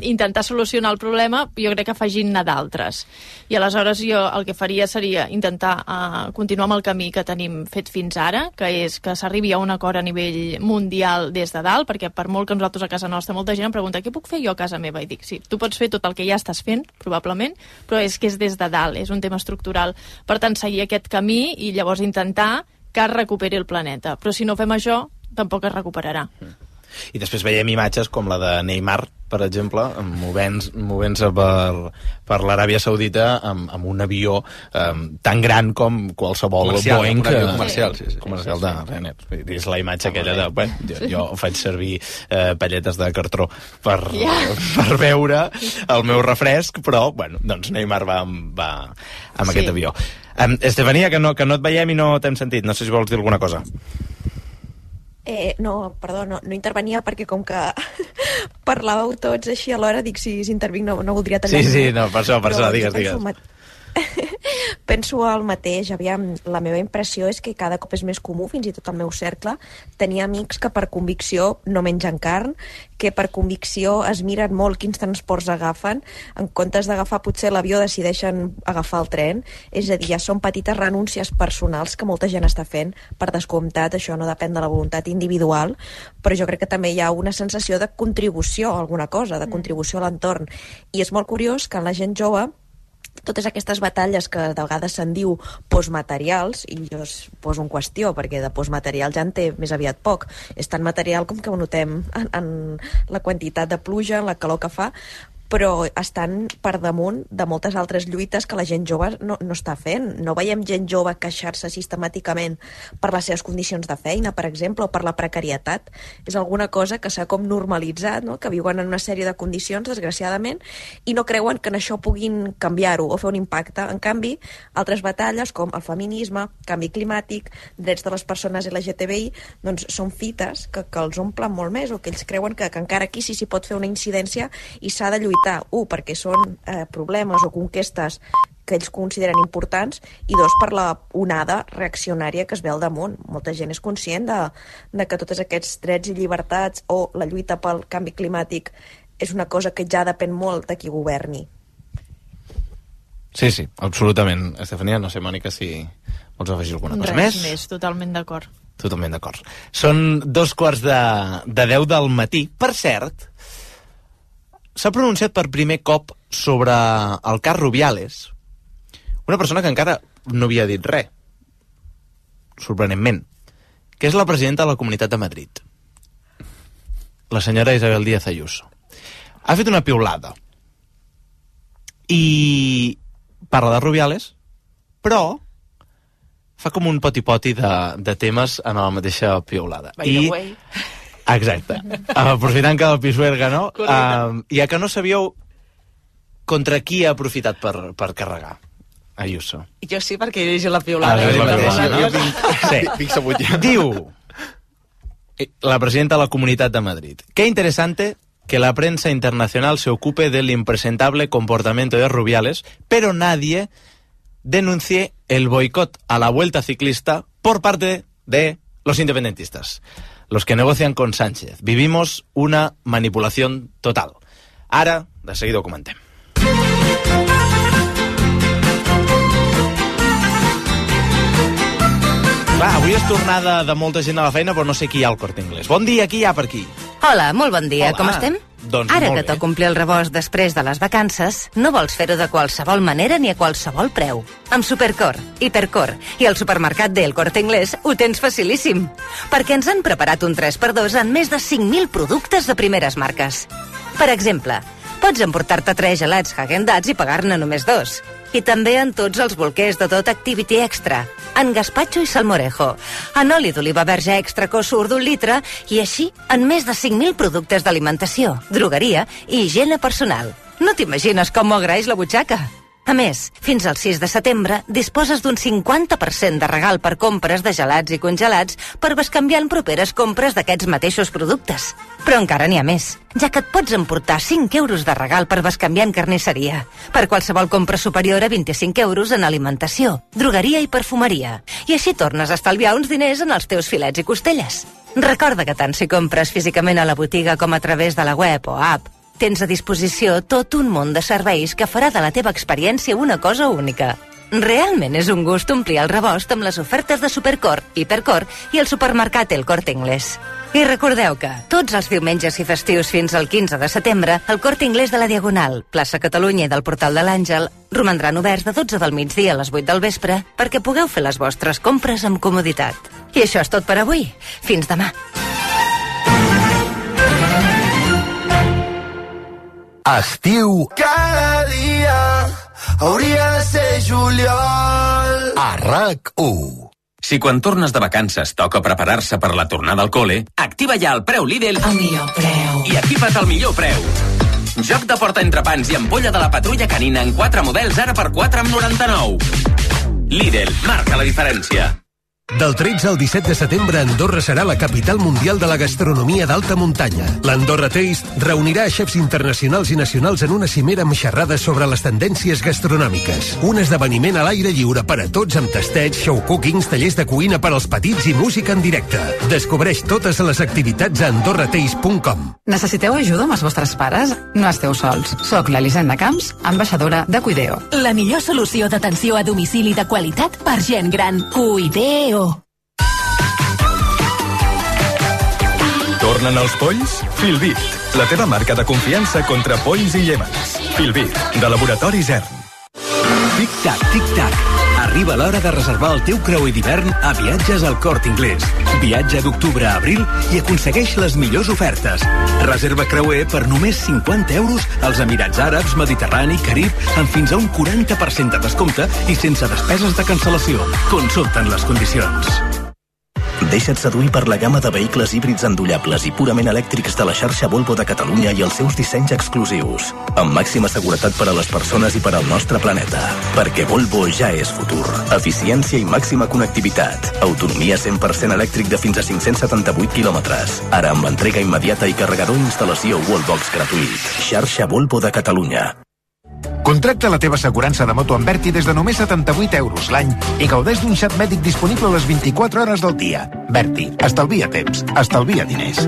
S14: intentar solucionar el problema, jo crec que afegint-ne d'altres. I aleshores jo el que faria seria intentar continuar amb el camí que tenim fet fins ara, que és que s'arribi a un acord a nivell mundial des de dalt, perquè per molt que nosaltres a casa nostra molta gent em pregunta què puc fer jo a casa meva? I dic, sí, tu pots fer tot el que ja estàs fent, probablement, però és que és des de dalt, és un tema estructural. Per tant, seguir aquest camí i llavors intentar que es recuperi el planeta. Però si no fem això, tampoc es recuperarà.
S2: I després veiem imatges com la de Neymar, per exemple, movent-se per l'Aràbia Saudita amb un avió tan gran com qualsevol Boeing
S16: comercial
S2: de Ryanair. És la imatge aquella de... Bueno, jo faig servir palletes de cartró per beure el meu refresc, però, bueno, doncs Neymar va amb aquest avió. Estefania, que no et veiem i no t'hem sentit. No sé si vols dir alguna cosa.
S19: No, perdó, no intervenia perquè com que parlàveu tots així alhora, dic si intervinc no voldria tenir...
S2: Sí, no, per això, digues.
S19: penso el mateix. Aviam, la meva impressió és que cada cop és més comú, fins i tot al meu cercle, tenir amics que per convicció no mengen carn, que per convicció es miren molt quins transports agafen, en comptes d'agafar potser l'avió decideixen agafar el tren. És a dir, ja són petites renúncies personals que molta gent està fent. Per descomptat, això no depèn de la voluntat individual, però jo crec que també hi ha una sensació de contribució a alguna cosa, de contribució a l'entorn. I és molt curiós que en la gent jove totes aquestes batalles que de vegades se'n diu postmaterials, i jo es poso en qüestió perquè de postmaterial ja en té més aviat poc, és tan material com que ho notem en la quantitat de pluja, en la calor que fa, però estan per damunt de moltes altres lluites que la gent jove no està fent. No veiem gent jove queixar-se sistemàticament per les seves condicions de feina, per exemple, o per la precarietat. És alguna cosa que s'ha com normalitzat, no? Que viuen en una sèrie de condicions, desgraciadament, i no creuen que en això puguin canviar-ho o fer un impacte. En canvi, altres batalles, com el feminisme, canvi climàtic, drets de les persones LGTBI, doncs són fites que els omplen molt més, o que ells creuen que encara aquí sí s'hi pot fer una incidència i s'ha de lluitar. Perquè són problemes o conquestes que ells consideren importants, i dos, per la onada reaccionària que es ve al damunt. Molta gent és conscient de que tots aquests drets i llibertats o la lluita pel canvi climàtic és una cosa que ja depèn molt de qui governi.
S2: Sí, absolutament. Estefania, no sé, Mònica, si vols afegir alguna cosa més?
S14: Res més, totalment d'acord.
S2: Totalment d'acord. Són 2:45 del matí. Per cert, s'ha pronunciat per primer cop sobre el cas Rubiales una persona que encara no havia dit res, sorprenentment, que és la presidenta de la Comunitat de Madrid, la senyora Isabel Díaz Ayuso. Ha fet una piulada i parla de Rubiales, però fa com un poti-poti de temes en la mateixa piulada.
S17: By the way.
S2: Exacte. Aprofitant que el Pisuerga, no? Ja que no sabíeu contra qui ha aprofitat per carregar Ayuso.
S17: Jo sí, perquè he llegit la piulada.
S2: Diu la presidenta de la Comunitat de Madrid: qué interesante que la prensa internacional se ocupe del impresentable comportamiento de Rubiales, pero nadie denuncie el boicot a la Vuelta Ciclista por parte de los independentistas, los que negocian con Sánchez. Vivimos una manipulación total. Ara, de seguida ho comentem. Clar, avui és tornada de molta gent a la feina, però no sé qui hi ha al Corte Inglés. Bon dia, qui hi ha per aquí?
S20: Hola, molt bon dia.
S2: Hola.
S20: Com estem?
S2: Doncs
S20: Ara
S2: molt
S20: que
S2: bé.
S20: toca omplir el rebost després de les vacances, no vols fer-ho de qualsevol manera ni a qualsevol preu. Amb Supercor, Hipercor i el supermercat del Corte Inglés ho tens facilíssim, perquè ens han preparat un 3x2 en més de 5.000 productes de primeres marques. Per exemple, pots emportar-te 3 gelats Häagen-Dazs i pagar-ne només 2. I també en tots els bolquers de tot Activity Extra, en gazpacho i salmorejo, en oli d'oliva verge extra Cosur d'1 litre i així en més de 5.000 productes d'alimentació, drogueria i higiene personal. No t'imagines com m'ho agraeix la butxaca? A més, fins al 6 de setembre disposes d'un 50% de regal per compres de gelats i congelats per bescanviar en properes compres d'aquests mateixos productes. Però encara n'hi ha més, ja que et pots emportar 5 euros de regal per bescanviar en carnisseria, per qualsevol compra superior a 25 euros en alimentació, drogueria i perfumeria. I així tornes a estalviar uns diners en els teus filets i costelles. Recorda que tant si compres físicament a la botiga com a través de la web o app, tens a disposició tot un munt de serveis que farà de la teva experiència una cosa única. Realment és un gust omplir el rebost amb les ofertes de Supercor, Hipercor i el supermercat El Corte Inglés. I recordeu que tots els diumenges i festius fins al 15 de setembre el Corte Inglés de la Diagonal, plaça Catalunya i del Portal de l'Àngel romandran oberts de 12 del migdia a les 8 del vespre perquè pugueu fer les vostres compres amb comoditat. I això és tot per avui. Fins demà.
S21: Estiu cada dia hauria de ser juliol a RAC1.
S4: Si quan tornes de vacances toca preparar-se per la tornada al cole, activa ja el preu Lidl
S22: El millor preu.
S4: i equipa't al millor preu. Joc de porta entrepans i ampolla de la patrulla canina en 4 models ara per 4,99. Lidl, marca la diferència.
S1: Del 13 al 17 de setembre, Andorra serà la capital mundial de la gastronomia d'alta muntanya. L'Andorra Taste reunirà xefs internacionals i nacionals en una cimera amb xerrades sobre les tendències gastronòmiques. Un esdeveniment a l'aire lliure per a tots amb tastets, show cookings, tallers de cuina per als petits i música en directe. Descobreix totes les activitats a andorrataste.com.
S22: Necessiteu ajuda amb els vostres pares? No esteu sols. Soc l'Elisenda Camps, ambaixadora de Cuideo.
S23: La millor solució d'atenció a domicili de qualitat per gent gran. Cuideo.
S24: Tornen els polls? Filbit, la teva marca de confiança contra polls i llémens. Filbit, de Laboratori Zern.
S25: Tic-tac, tic-tac. Arriba l'hora de reservar el teu creuer d'hivern a Viatges al Corte Inglés. Viatja d'octubre a abril i aconsegueix les millors ofertes. Reserva creuer per només 50 euros als Emirats Àrabs, Mediterrani, Carib, amb fins a un 40% de descompte i sense despeses de cancel·lació. Consulta'n les condicions.
S5: Deixa't seduir per la gamma de vehicles híbrids endollables i purament elèctrics de la xarxa Volvo de Catalunya i els seus dissenys exclusius. Amb màxima seguretat per a les persones i per al nostre planeta. Perquè Volvo ja és futur. Eficiència i màxima connectivitat. Autonomia 100% elèctric de fins a 578 quilòmetres. Ara amb l'entrega immediata i carregador i instal·lació Wallbox gratuït. Xarxa Volvo de Catalunya.
S26: Contracta la teva assegurança de moto amb Berti des de només 78 euros l'any i gaudeix d'un xat mèdic disponible les 24 hores del dia. Berti, estalvia temps, estalvia diners.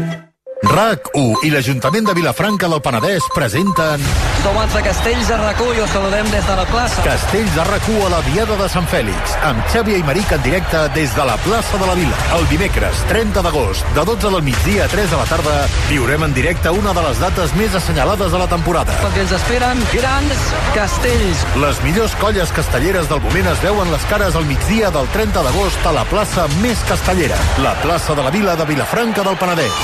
S21: RAC1 i l'Ajuntament de Vilafranca del Penedès presenten...
S27: Som els de Castells a RAC1 i us saludem des de la plaça.
S21: Castells a RAC1 a la Diada de Sant Fèlix, amb Xavi Aymeric en directe des de la plaça de la Vila. El dimecres 30 d'agost, de 12 del migdia a 3 de la tarda, viurem en directe una de les dates més assenyalades de la temporada.
S27: Perquè ens esperen grans castells.
S21: Les millors colles castelleres del moment es veuen les cares al migdia del 30 d'agost a la plaça més castellera, la plaça de la Vila de Vilafranca del Penedès.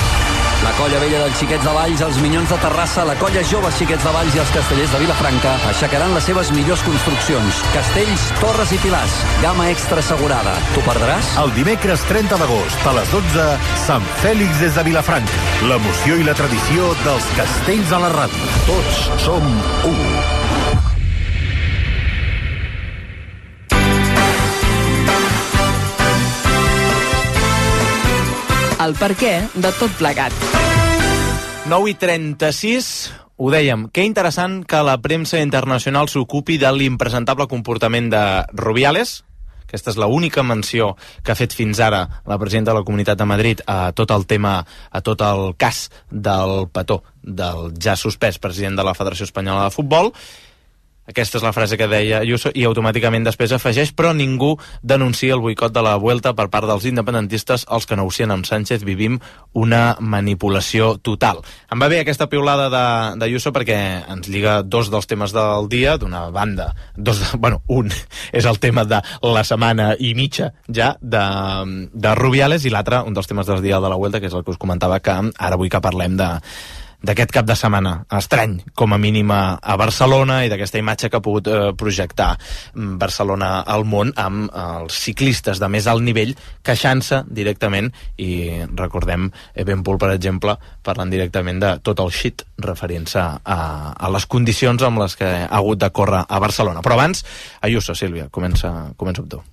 S27: La colla vella dels Xiquets de Valls, els Minyons de Terrassa, la colla jove Xiquets de Valls i els castellers de Vilafranca aixecaran les seves millors construccions. Castells, torres i pilars. Gamma extra assegurada. T'ho perdràs?
S21: El dimecres 30 d'agost a les 12, Sant Fèlix des de Vilafranca. L'emoció i la tradició dels castells a la ràdio. Tots som u.
S17: El perquè de tot plegat.
S2: 9:36, ho dèiem, que interessant que la premsa internacional s'ocupi de l'impresentable comportament de Rubiales. Aquesta és l'única menció que ha fet fins ara la presidenta de la Comunitat de Madrid a tot el tema, a tot el cas del petó del ja suspès president de la Federació Espanyola de Futbol. Aquesta és la frase que deia Ayuso i automàticament després afegeix: però ningú denuncia el boicot de la Vuelta per part dels independentistes. Els que negocien amb Sánchez vivim una manipulació total. Em va bé aquesta piulada d'Ayuso perquè ens lliga dos dels temes del dia. D'una banda, un és el tema de la setmana i mitja ja de Rubiales, i l'altre, un dels temes del dia de la Vuelta, que és el que us comentava, que ara vull que parlem d'aquest cap de setmana estrany, com a mínim a Barcelona, i d'aquesta imatge que ha pogut projectar Barcelona al món amb els ciclistes de més alt nivell queixant-se directament, i recordem Evenpool, per exemple, parlant directament de tot el shit referint-se a les condicions amb les que ha hagut de córrer a Barcelona. Però abans, Ayuso, Sílvia, comença amb tu.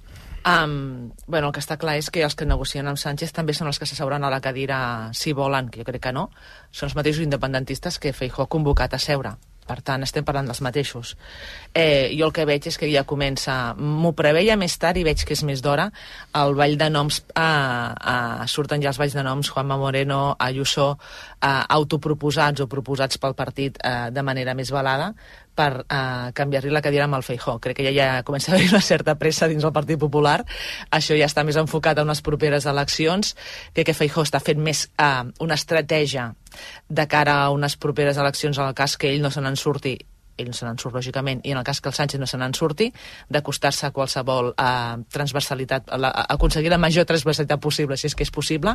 S17: El que està clar és que els que negocien amb Sánchez també són els que s'asseuran a la cadira, si volen, que jo crec que no, són els mateixos independentistes que Feijóo ha convocat a seure. Per tant, estem parlant dels mateixos. Jo el que veig és que ja comença, m'ho preveia més tard i veig que és més d'hora, el ball de noms, surten ja els balls de noms, Juanma Moreno, Ayuso, autoproposats o proposats pel partit de manera més velada, per canviar-li la cadira amb el Feijóo. Crec que ja comença a haver una certa pressa dins el Partit Popular. Això ja està més enfocat a unes properes eleccions. Crec que Feijóo està fent més una estratègia de cara a unes properes eleccions, en el cas que ell no se n'en surti. Ell no se n'en surt, lògicament, i en el cas que el Sánchez no se n'en surti, d'acostar-se a qualsevol transversalitat, aconseguir la major transversalitat possible, si és que és possible.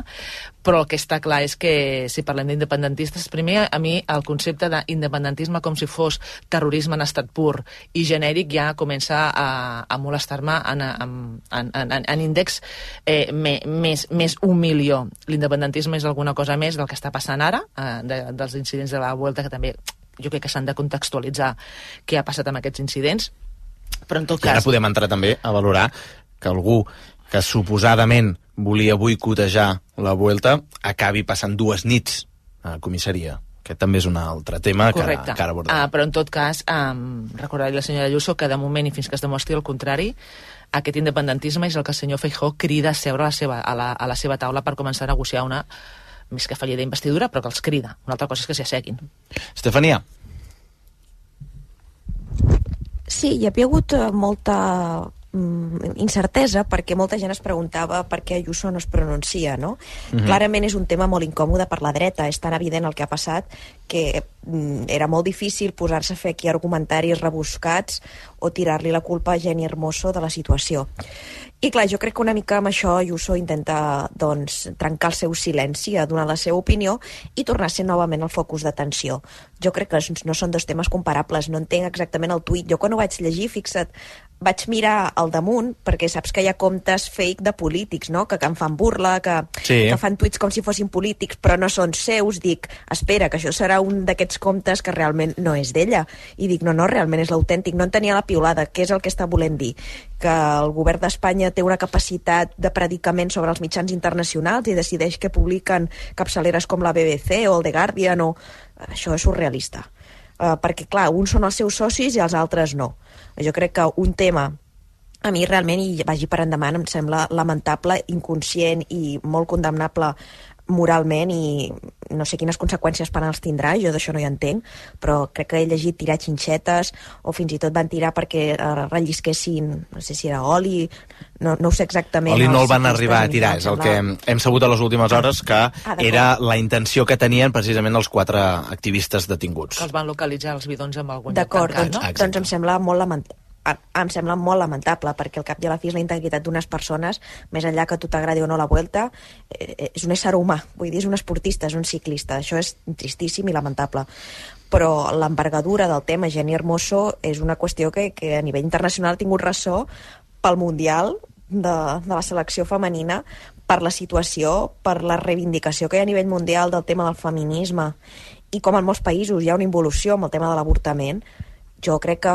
S17: Però el que està clar és que, si parlem d'independentistes, primer, a mi, el concepte d'independentisme com si fos terrorisme en estat pur i genèric ja comença a molestar-me en índex més 1 milió. L'independentisme és alguna cosa més del que està passant ara, dels incidents de la Vuelta, que també jo crec que s'han de contextualitzar què ha passat amb aquests incidents, però en tot cas...
S2: I ara podem entrar també a valorar que algú que suposadament volia boicotejar la Vuelta, acabi passant 2 nits a comissaria. Aquest també és un altre tema que ara abordarem.
S17: Però en tot cas, recordaré la senyora Ayuso que de moment i fins que es demostri el contrari, aquest independentisme és el que el senyor Feijóo crida a seure a la seva taula per començar a negociar una, més que fallida d'investidura, però que els crida. Una altra cosa és que s'hi asseguin.
S2: Estefania.
S19: Sí, hi havia hagut molta incertesa perquè molta gent es preguntava per què Ayuso no es pronuncia, no? Clarament és un tema molt incòmode per la dreta, és tan evident el que ha passat que era molt difícil posar-se a fer aquí argumentaris rebuscats o tirar-li la culpa a Jenny Hermoso de la situació. I clar, jo crec que una mica amb això Ayuso intenta trencar el seu silenci, donar la seva opinió i tornar a ser novament el focus d'atenció. Jo crec que no són 2 temes comparables, no entenc exactament el tuit. Jo quan ho vaig llegir, fixa't, vaig mirar al damunt, perquè saps que hi ha comptes fake de polítics, no? Que en fan burla, que fan tuits com si fossin polítics, però no són seus. Dic, espera, que això serà un d'aquests comptes que realment no és d'ella. I dic, no, realment és l'autèntic. No en tenia la piulada. Què és el que està volent dir? Que el govern d'Espanya té una capacitat de predicament sobre els mitjans internacionals i decideix que publiquen capçaleres com la BBC o el The Guardian o... Això és surrealista. Perquè, clar, uns són els seus socis i els altres no. Jo crec que un tema, a mi realment, i vagi per endavant, em sembla lamentable, inconscient i molt condemnable moralment, i no sé quines conseqüències penals tindrà, jo d'això no hi entenc, però crec que he llegit tirar xinxetes o fins i tot van tirar perquè rellisquessin, no sé si era oli, no ho sé exactament.
S2: Oli no el van arribar a tirar, és el que hem sabut a les últimes hores, que era la intenció que tenien precisament els 4 activistes detinguts.
S17: Que els van localitzar els bidons amb algun lloc
S19: d'acord,
S17: tancat, no?
S19: Doncs em sembla molt lamentable, perquè al cap i a la fi és la integritat d'unes persones, més enllà que a tu t'agradi o no la Vuelta, és un ésser humà, vull dir, és un esportista, és un ciclista, això és tristíssim i lamentable. Però l'envergadura del tema Jenny Hermoso és una qüestió que a nivell internacional ha tingut ressò pel Mundial de la selecció femenina, per la situació, per la reivindicació que hi ha a nivell mundial del tema del feminisme, i com en molts països hi ha una involució amb el tema de l'avortament. Jo crec que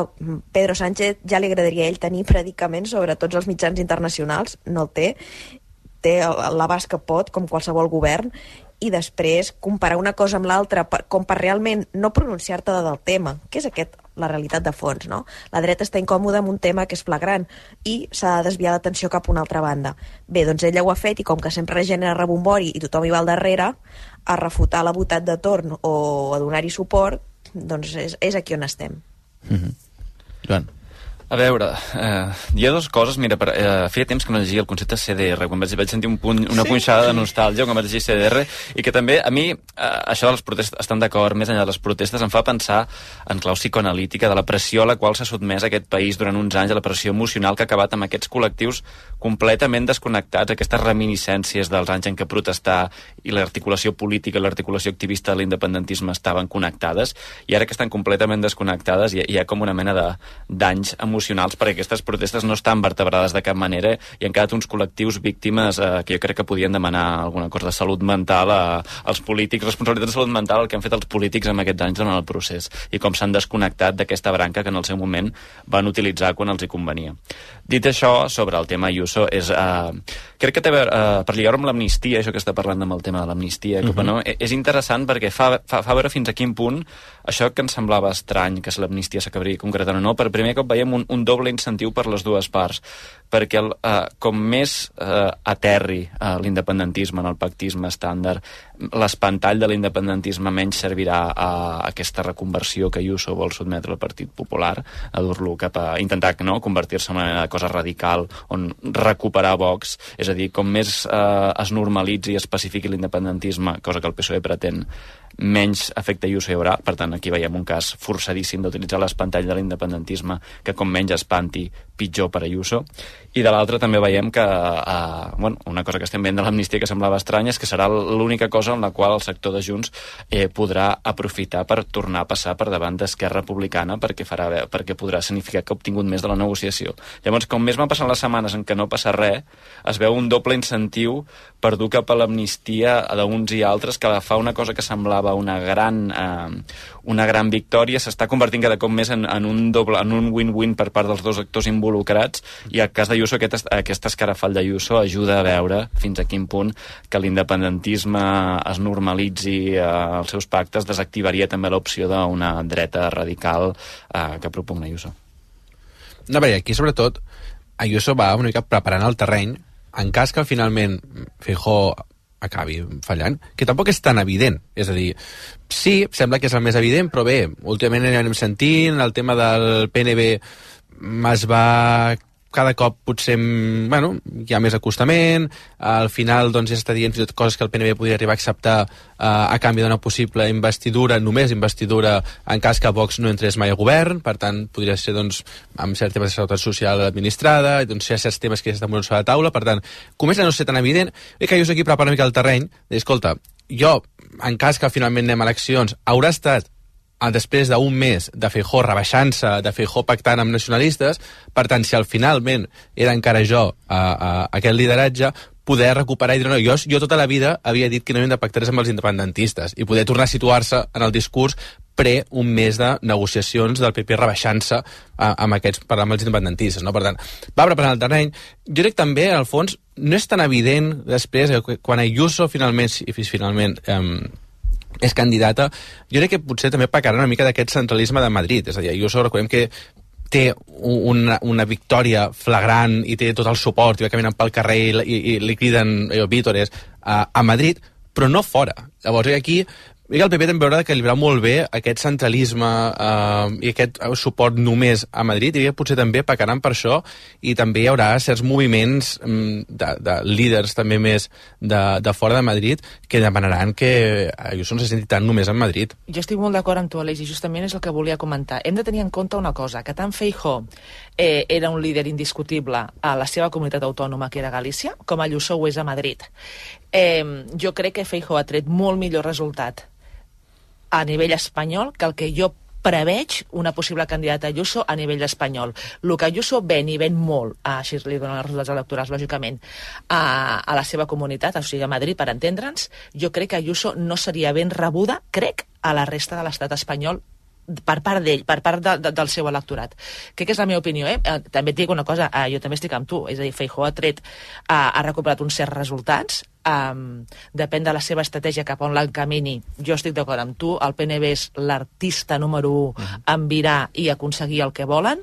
S19: Pedro Sánchez ja li agradaria a ell tenir predicaments sobre tots els mitjans internacionals, no el té l'abast que pot, com qualsevol govern, i després comparar una cosa amb l'altra com per realment no pronunciar-te del tema, que és la realitat de fons, no? La dreta està incòmoda amb un tema que és flagrant i s'ha de desviar l'atenció cap a una altra banda. Bé, doncs ella ho ha fet i com que sempre genera rebombori i tothom hi va al darrere, a refutar la votat de torn o a donar-hi suport, doncs és aquí on estem.
S2: Joan.
S15: A veure, hi ha 2 coses. Mira, feia temps que no llegia el concepte CDR, quan vaig sentir una punxada de nostàlgia quan vaig llegir CDR, i que també a mi això de les protestes, estan d'acord, més enllà de les protestes, em fa pensar en clau psicoanalítica de la pressió a la qual s'ha sotmès aquest país durant uns anys, a la pressió emocional que ha acabat amb aquests col·lectius completament desconnectats, aquestes reminiscències dels anys en què protestar i l'articulació política i l'articulació activista de l'independentisme estaven connectades, i ara que estan completament desconnectades hi ha com una mena de danys emocionals, perquè aquestes protestes no estan vertebrades de cap manera i han quedat uns col·lectius víctimes que jo crec que podien demanar alguna cosa de salut mental als polítics, responsabilitat de salut mental el que han fet els polítics en aquests anys durant el procés i com s'han desconnectat d'aquesta branca que en el seu moment van utilitzar quan els hi convenia. Dit això, sobre el tema Ayuso, crec que té a veure, per lligar-ho amb l'amnistia, això que està parlant amb el tema de l'amnistia, no? És interessant perquè fa veure fins a quin punt això que ens semblava estrany, que l'amnistia s'acabaria concretant o no, per primer cop veiem un doble incentiu per les dues parts, perquè com més aterri l'independentisme en el pactisme estàndard, l'espantall de l'independentisme menys servirà a aquesta reconversió que Ayuso vol sotmetre al Partit Popular, a dur-lo cap a intentar convertir-se en una cosa radical on recuperar Vox, és a dir, com més es normalitzi i es pacifiqui l'independentisme, cosa que el PSOE pretén, menys efecte Ayuso hi haurà. Per tant, aquí veiem un cas forçadíssim d'utilitzar l'espantall de l'independentisme, que com menys espanti, pitjor per Ayuso. I de l'altra també veiem que una cosa que estem veient de l'amnistia que semblava estranya és que serà l'única cosa en la qual el sector de Junts podrà aprofitar per tornar a passar per davant d'Esquerra Republicana, perquè podrà significar que ha obtingut més de la negociació. Llavors, com més van passant les setmanes en què no passa res, es veu un doble incentiu per dur cap a l'amnistia d'uns i altres, que fa una cosa que semblava semblava una gran victòria, s'està convertint cada cop més en un win-win per part dels dos actors involucrats, i el cas d'Ayuso, aquest escarafall d'Ayuso ajuda a veure fins a quin punt que l'independentisme es normalitzi els seus pactes desactivaria també l'opció d'una dreta radical que propugna Ayuso.
S16: No, perquè aquí sobretot Ayuso va una mica preparant el terreny en cas que finalment Feijóo acabi fallant, que tampoc és tan evident. És a dir, sí, sembla que és el més evident, però bé, últimament anem sentint el tema del PNB es va cada cop potser, bueno, hi ha més acostament, al final doncs ja està dient coses que el PNB podria arribar a acceptar a canvi d'una possible investidura, només investidura en cas que Vox no entrés mai a govern, per tant podria ser doncs amb certs temes de seguretat social administrada, i doncs hi ha certs temes que ja estan posant sobre la taula, per tant comença a no ser tan evident, i que jo aquí preparo una mica el terreny, escolta, jo en cas que finalment anem a eleccions haurà estat després d'un mes de Feijóo rebaixant-se, de Feijóo pactant amb nacionalistes, per tant, si al finalment era encara jo aquest lideratge, poder recuperar i dir, no, jo tota la vida havia dit que no havien de pactar amb els independentistes, i poder tornar a situar-se en el discurs un mes de negociacions del PP rebaixant-se amb els independentistes, no? Per tant, va preparant el terreny. Jo crec també, al fons, no és tan evident després, quan Ayuso finalment és candidata, jo crec que potser també pecarà una mica d'aquest centralisme de Madrid. És a dir, Ayuso, recordem que té una victòria flagrant i té tot el suport i va caminant pel carrer i li criden vítores a Madrid, però no fora. Llavors, aquí el PP també haurà d'equilibrar molt bé aquest centralisme i aquest suport només a Madrid, i potser també pecaran per això, i també hi haurà certs moviments de líders també més de fora de Madrid que demanaran que Ayuso no se senti tant només en Madrid.
S17: Jo estic molt d'acord amb tu, Aleix, i justament és el que volia comentar. Hem de tenir en compte una cosa, que tant Feijóo era un líder indiscutible a la seva comunitat autònoma, que era Galícia, com Ayuso ho és a Madrid. Jo crec que Feijóo ha tret molt millor resultat a nivell espanyol que el que jo preveig una possible candidata a Ayuso a nivell espanyol. El que Ayuso ven molt, així li donen els resultats electorals, lògicament, a la seva comunitat, o sigui, a Madrid, per entendre'ns, jo crec que Ayuso no seria ben rebuda, crec, a la resta de l'estat espanyol per part d'ell, per part del seu electorat. Crec que és la meva opinió, També et dic una cosa, jo també estic amb tu, és a dir, Feijóo ha recuperat uns certs resultats, depèn de la seva estratègia cap on l'encamini. Jo estic d'acord amb tu, el PNB és l'artista número 1 en virar i aconseguir el que volen.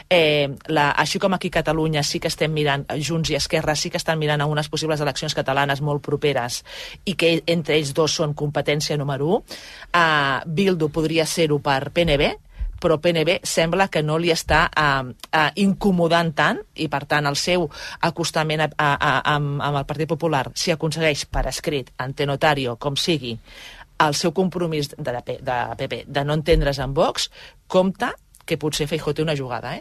S17: Així com aquí a Catalunya sí que estem mirant, Junts i Esquerra sí que estan mirant a unes possibles eleccions catalanes molt properes i que entre ells dos són competència número 1. Bildu podria ser-ho per PNB, però PNB sembla que no li està incomodant tant, i per tant el seu acostament amb el Partit Popular, si aconsegueix per escrit, ante notario, com sigui, el seu compromís de PP de no entendre's amb Vox, compta que potser Feijóo té una jugada,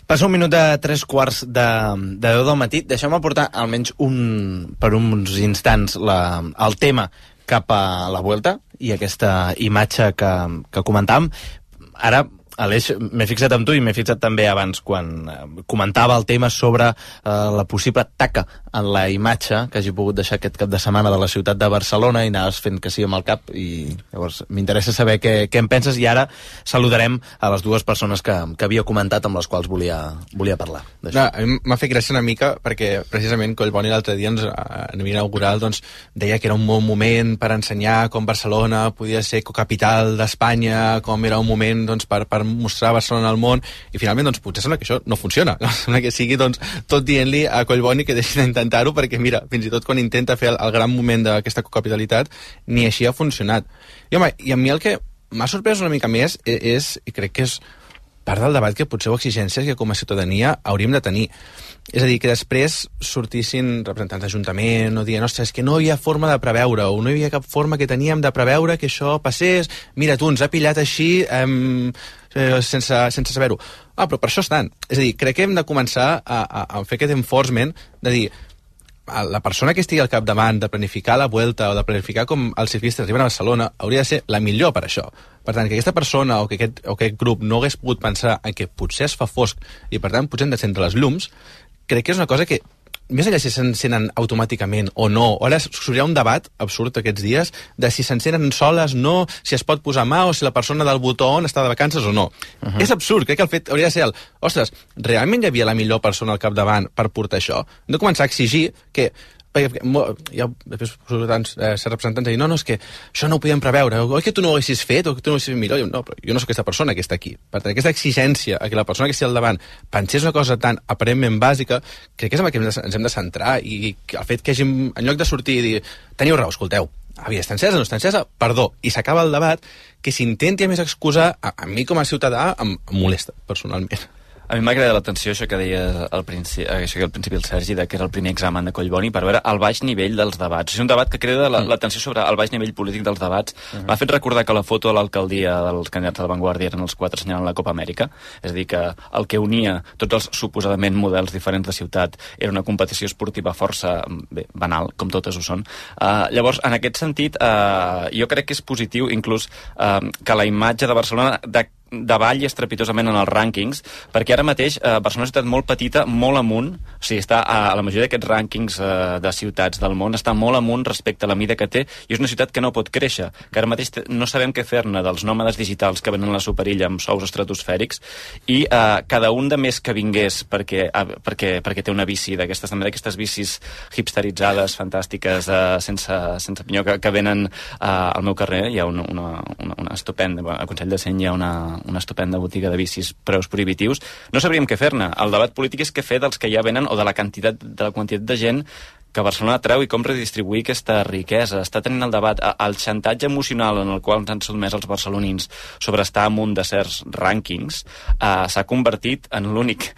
S2: Passa un minut de 3:15 de 10 del matí. Deixeu-me portar almenys per uns instants el tema cap a la Vuelta i aquesta imatge que comentàvem. Ara, Aleix, m'he fixat amb tu i m'he fixat també abans quan comentava el tema sobre la possible taca en la imatge que hagi pogut deixar aquest cap de setmana de la ciutat de Barcelona, i anaves fent que sí amb el cap, i llavors m'interessa saber què en penses, i ara saludarem a les dues persones que havia comentat amb les quals volia parlar.
S16: No, a mi m'ha fet gràcia una mica perquè precisament Collboni l'altre dia a nivell inaugural deia que era un bon moment per ensenyar com Barcelona podia ser cocapital d'Espanya, com era un moment per mostrar Barcelona al món, i finalment potser sembla que això no funciona, sembla que sigui tot dient-li a Collboni que deixi d'intentar-ho, perquè mira, fins i tot quan intenta fer el gran moment d'aquesta cocapitalitat ni així ha funcionat. I a mi el que m'ha sorprès una mica més és, i crec que és part del debat que potser o exigències que com a ciutadania hauríem de tenir. És a dir, que després sortissin representants d'Ajuntament o dient, ostres, és que no hi ha forma de preveure, o no hi havia cap forma que teníem de preveure que això passés, mira, tu ens ha pillat així sense saber-ho. Però per això estan. És a dir, crec que hem de començar a fer aquest enforcement de dir, la persona que estigui al capdavant de planificar la Vuelta o de planificar com els ciclistes arriben a Barcelona hauria de ser la millor per això. Per tant, que aquesta persona o que aquest grup no hagués pogut pensar en que potser es fa fosc i per tant potser hem d'encendre les llums, crec que és una cosa que més enllà si s'encenen automàticament o no, ara sortirà un debat absurd aquests dies de si s'encenen soles, no, si es pot posar mà o si la persona del botó on està de vacances o no. És absurd, crec que el fet hauria de ser ostres, realment hi havia la millor persona al capdavant per portar això? Hem de començar a exigir que després ser representants i dir, no, és que això no ho podíem preveure, oi que tu no ho haguessis fet o que tu no ho haguessis fet millor. No, però jo no soc aquesta persona que està aquí. Per tant, aquesta exigència a que la persona que estigui al davant pensés una cosa tan aparentment bàsica, crec que és en el que ens hem de centrar, i el fet que hàgim, en lloc de sortir i dir teniu raó, escolteu, està encesa, no està encesa, perdó, i s'acaba el debat, que s'intenti a més excusar, a mi com a ciutadà em molesta personalment.
S15: A mi m'ha agradat l'atenció, això que deia al principi el Sergi, que era el primer examen de Collboni, per veure el baix nivell dels debats. És un debat que crida l'atenció sobre el baix nivell polític dels debats. M'ha fet recordar que la foto a l'alcaldia dels candidats de la Vanguardia eren els 4 assenyalant la Copa Amèrica, és a dir, que el que unia tots els suposadament models diferents de ciutat era una competició esportiva força banal, com totes ho són. Llavors, en aquest sentit, jo crec que és positiu inclús que la imatge de Barcelona davalli estrepitosament en els rànquings, perquè ara mateix Barcelona és una ciutat molt petita, molt amunt, o sigui, està a la majoria d'aquests rànquings de ciutats del món, està molt amunt respecte a la mida que té, i és una ciutat que no pot créixer, que ara mateix no sabem què fer-ne dels nòmades digitals que venen a la superilla amb sous estratosfèrics, i cada un de més que vingués perquè té una bici d'aquestes, també d'aquestes bicis hipsteritzades, fantàstiques, sense pinyó, que venen al meu carrer. Hi ha una estupenda, a Consell de Cent hi ha una estupenda botiga de bicis, preus prohibitius. No sabríem què fer-ne. El debat polític és què fer dels que ja venen o de la quantitat de gent que Barcelona treu i com redistribuir aquesta riquesa. Està tenint el debat, el xantatge emocional en el qual ens han sotmès els barcelonins sobre estar amunt de certs rànquings s'ha convertit en l'únic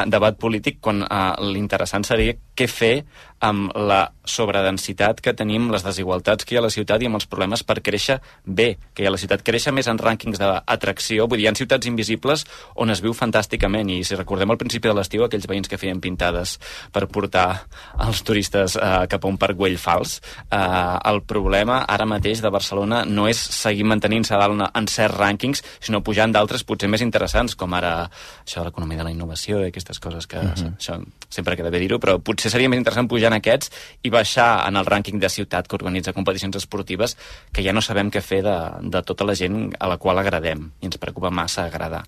S15: debat polític, quan l'interessant seria què fer amb la sobredensitat que tenim, les desigualtats que hi ha a la ciutat i amb els problemes per créixer bé, que hi ha a la ciutat. Créixer més en rànquings d'atracció, vull dir, hi ha ciutats invisibles on es viu fantàsticament, i si recordem al principi de l'estiu aquells veïns que feien pintades per portar els turistes cap a un parc Güell fals, el problema ara mateix de Barcelona no és seguir mantenint-se a dalt en certs rànquings, sinó pujant d'altres potser més interessants, com ara això de l'economia de la innovació i aquestes coses que això sempre queda bé dir-ho, però potser seria més interessant pujar en aquests i baixar en el rànquing de ciutat que organitza competicions esportives, que ja no sabem què fer de tota la gent a la qual agradem, i ens preocupa massa agradar.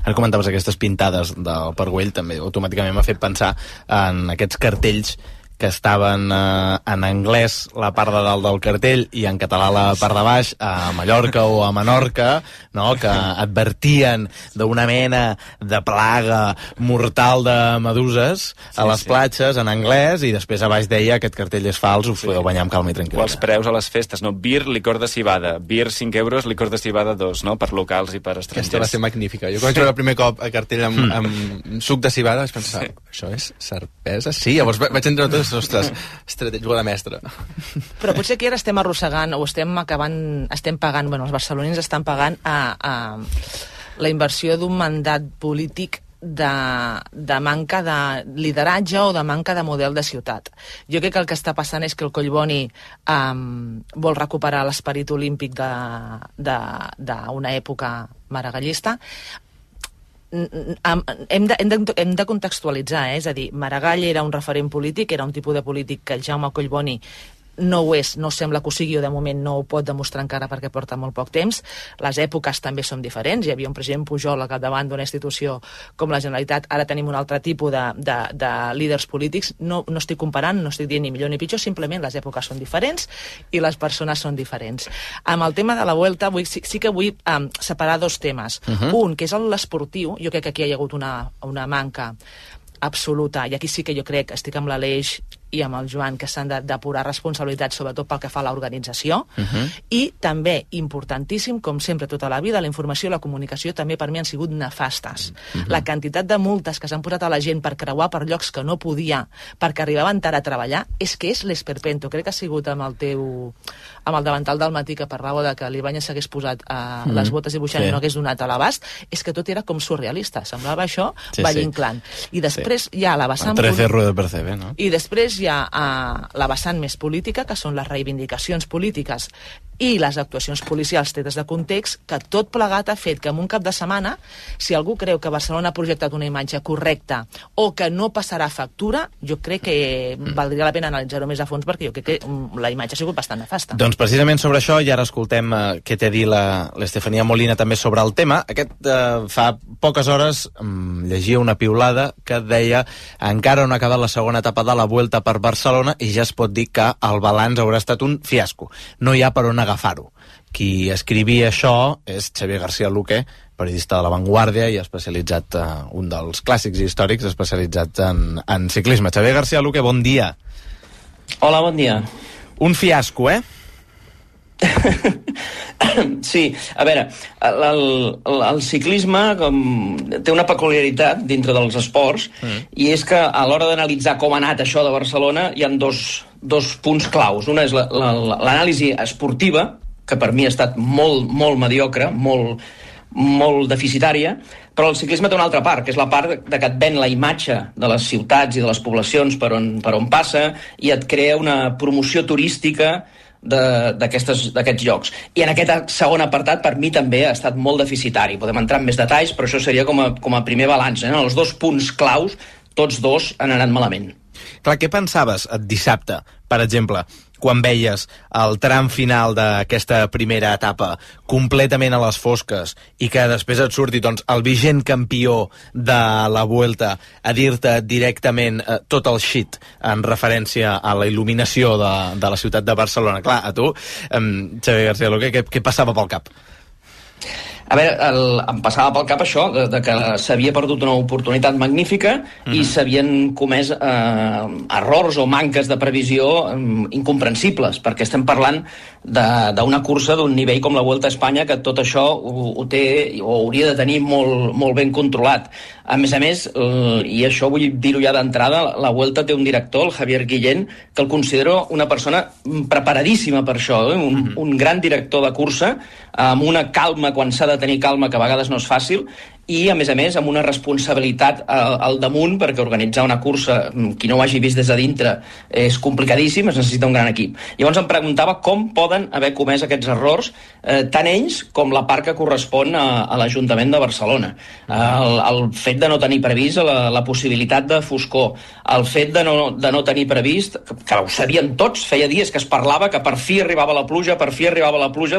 S2: Ara comentaves aquestes pintades del Parc Güell, també automàticament m'ha fet pensar en aquests cartells que estaven en anglès la part de dalt del cartell i en català la part de baix, a Mallorca o a Menorca, no? Que advertien d'una mena de plaga mortal de meduses a les platges en anglès, i després a baix deia aquest cartell és fals, us podeu banyar amb calma i tranquil·litat.
S15: O els preus a les festes, no? Beer, licor de cibada. Beer, 5 euros, licor de cibada 2, no? Per locals i per estrangers.
S16: Aquesta va ser magnífica. Jo quan vaig veure el primer cop el cartell amb suc de cibada vaig pensar, això és cervesa? Sí, llavors vaig entrar tots, ostres, jugada mestra.
S17: Però potser que ara estem arrossegant o estem pagant, bueno, els barcelonins estan pagant a la inversió d'un mandat polític de manca de lideratge o de manca de model de ciutat. Jo crec que el que està passant és que el Collboni vol recuperar l'esperit olímpic d'una època maragallista. Hem de contextualitzar, és a dir, Maragall era un referent polític, era un tipus de polític que el Jaume Collboni no ho és, no sembla que ho sigui, o de moment no ho pot demostrar encara perquè porta molt poc temps. Les èpoques també són diferents, hi havia un president Pujol al capdavant d'una institució com la Generalitat, ara tenim un altre tipus de líders polítics. No estic comparant, no estic dient ni millor ni pitjor, simplement les èpoques són diferents i les persones són diferents. Amb el tema de la Vuelta sí que vull separar dos temes. Un, que és l'esportiu. Jo crec que aquí hi ha hagut una manca absoluta, i aquí sí que jo crec, estic amb l'Aleix i amb el Joan, que s'han d'apurar responsabilitats, sobretot pel que fa a l'organització, i també, importantíssim, com sempre tota la vida, la informació i la comunicació també per mi han sigut nefastes. La quantitat de multes que s'han posat a la gent per creuar per llocs que no podia, perquè arribaven tard a treballar, és que és l'esperpento. Crec que ha sigut amb el davantal del matí que parlava de que l'Ibáñez s'hagués posat les botes i buixant i no hagués donat a l'abast, és que tot era com surrealista, semblava això Valle-Inclán. I després hi ha la vessant...
S2: 13 rueda per CB, no?
S17: I després hi ha la vessant més política, que són les reivindicacions polítiques i les actuacions policials tretes de context, que tot plegat ha fet que en un cap de setmana, si algú creu que Barcelona ha projectat una imatge correcta o que no passarà factura, jo crec que valdria la pena analitzar-ho més a fons, perquè jo crec que la imatge ha sigut bastant nefasta.
S2: Doncs precisament sobre això, i ara escoltem què té a dir l'Estefania Molina també sobre el tema. Fa poques hores llegia una piulada que deia encara no ha acabat la segona etapa de la Vuelta per Barcelona i ja es pot dir que el balanç haurà estat un fiasco. No hi ha per on agafar-ho. Qui escrivia això és Xavier García Luque, periodista de La Vanguardia i especialitzat, un dels clàssics històrics especialitzats en ciclisme. Xavier García Luque, bon dia.
S3: Hola, bon dia.
S2: Un fiasco,
S3: Sí, a veure, el ciclisme té una peculiaritat dintre dels esports i és que a l'hora d'analitzar com ha anat això de Barcelona hi ha dos punts claus. Una és l'anàlisi esportiva, que per mi ha estat molt mediocre, molt deficitària, però el ciclisme té una altra part, que és la part de que et ven la imatge de les ciutats i de les poblacions per on passa i et crea una promoció turística d'aquests llocs. I en aquest segon apartat, per mi també ha estat molt deficitari. Podem entrar en més detalls, però això seria com a primer balanç. Els dos punts claus, tots dos han anat malament.
S2: Clar, què pensaves dissabte, per exemple, quan veies el tram final d'aquesta primera etapa completament a les fosques i que després et surti el vigent campió de la Vuelta a dir-te directament tot el shit en referència a la il·luminació de la ciutat de Barcelona? Clar, a tu, Xavier García Luque, què passava pel cap?
S3: A veure, em passava pel cap això, de que s'havia perdut una oportunitat magnífica i s'havien comès errors o manques de previsió incomprensibles, perquè estem parlant d'una cursa d'un nivell com la Vuelta a Espanya, que tot això ho té o hauria de tenir molt ben controlat. A més, i això vull dir-ho ja d'entrada, la Vuelta té un director, el Javier Guillén, que el considero una persona preparadíssima per això, un gran director de cursa, amb una calma quan s'ha de tenir calma, que a vegades no és fàcil, i, a més, amb una responsabilitat al damunt, perquè organitzar una cursa, qui no ho hagi vist des de dintre, és complicadíssim, es necessita un gran equip. Llavors em preguntava com poden haver comès aquests errors, tant ells com la part que correspon a l'Ajuntament de Barcelona. El fet de no tenir previst la possibilitat de foscor, el fet de no tenir previst, que ho sabien tots, feia dies que es parlava que per fi arribava la pluja,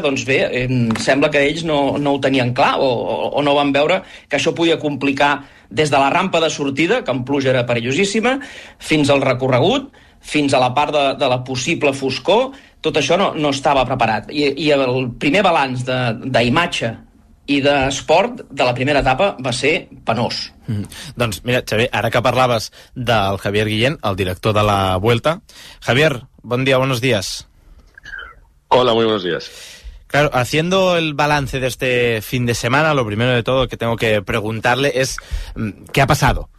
S3: doncs bé, sembla que ells no ho tenien clar o no van veure que això podia complicar des de la rampa de sortida, que en pluja era perillosíssima, fins al recorregut, fins a la part de la possible foscor. Tot això no estava preparat. I el primer balanç d'imatge i d'esport de la primera etapa va ser penós.
S2: Doncs mira, Xavier, ara que parlaves del Javier Guillén, el director de la Vuelta. Javier, bon dia, buenos días.
S6: Hola, muy buenos días.
S2: Claro, haciendo el balance de este fin de semana, lo primero de todo que tengo que preguntarle es ¿qué ha pasado?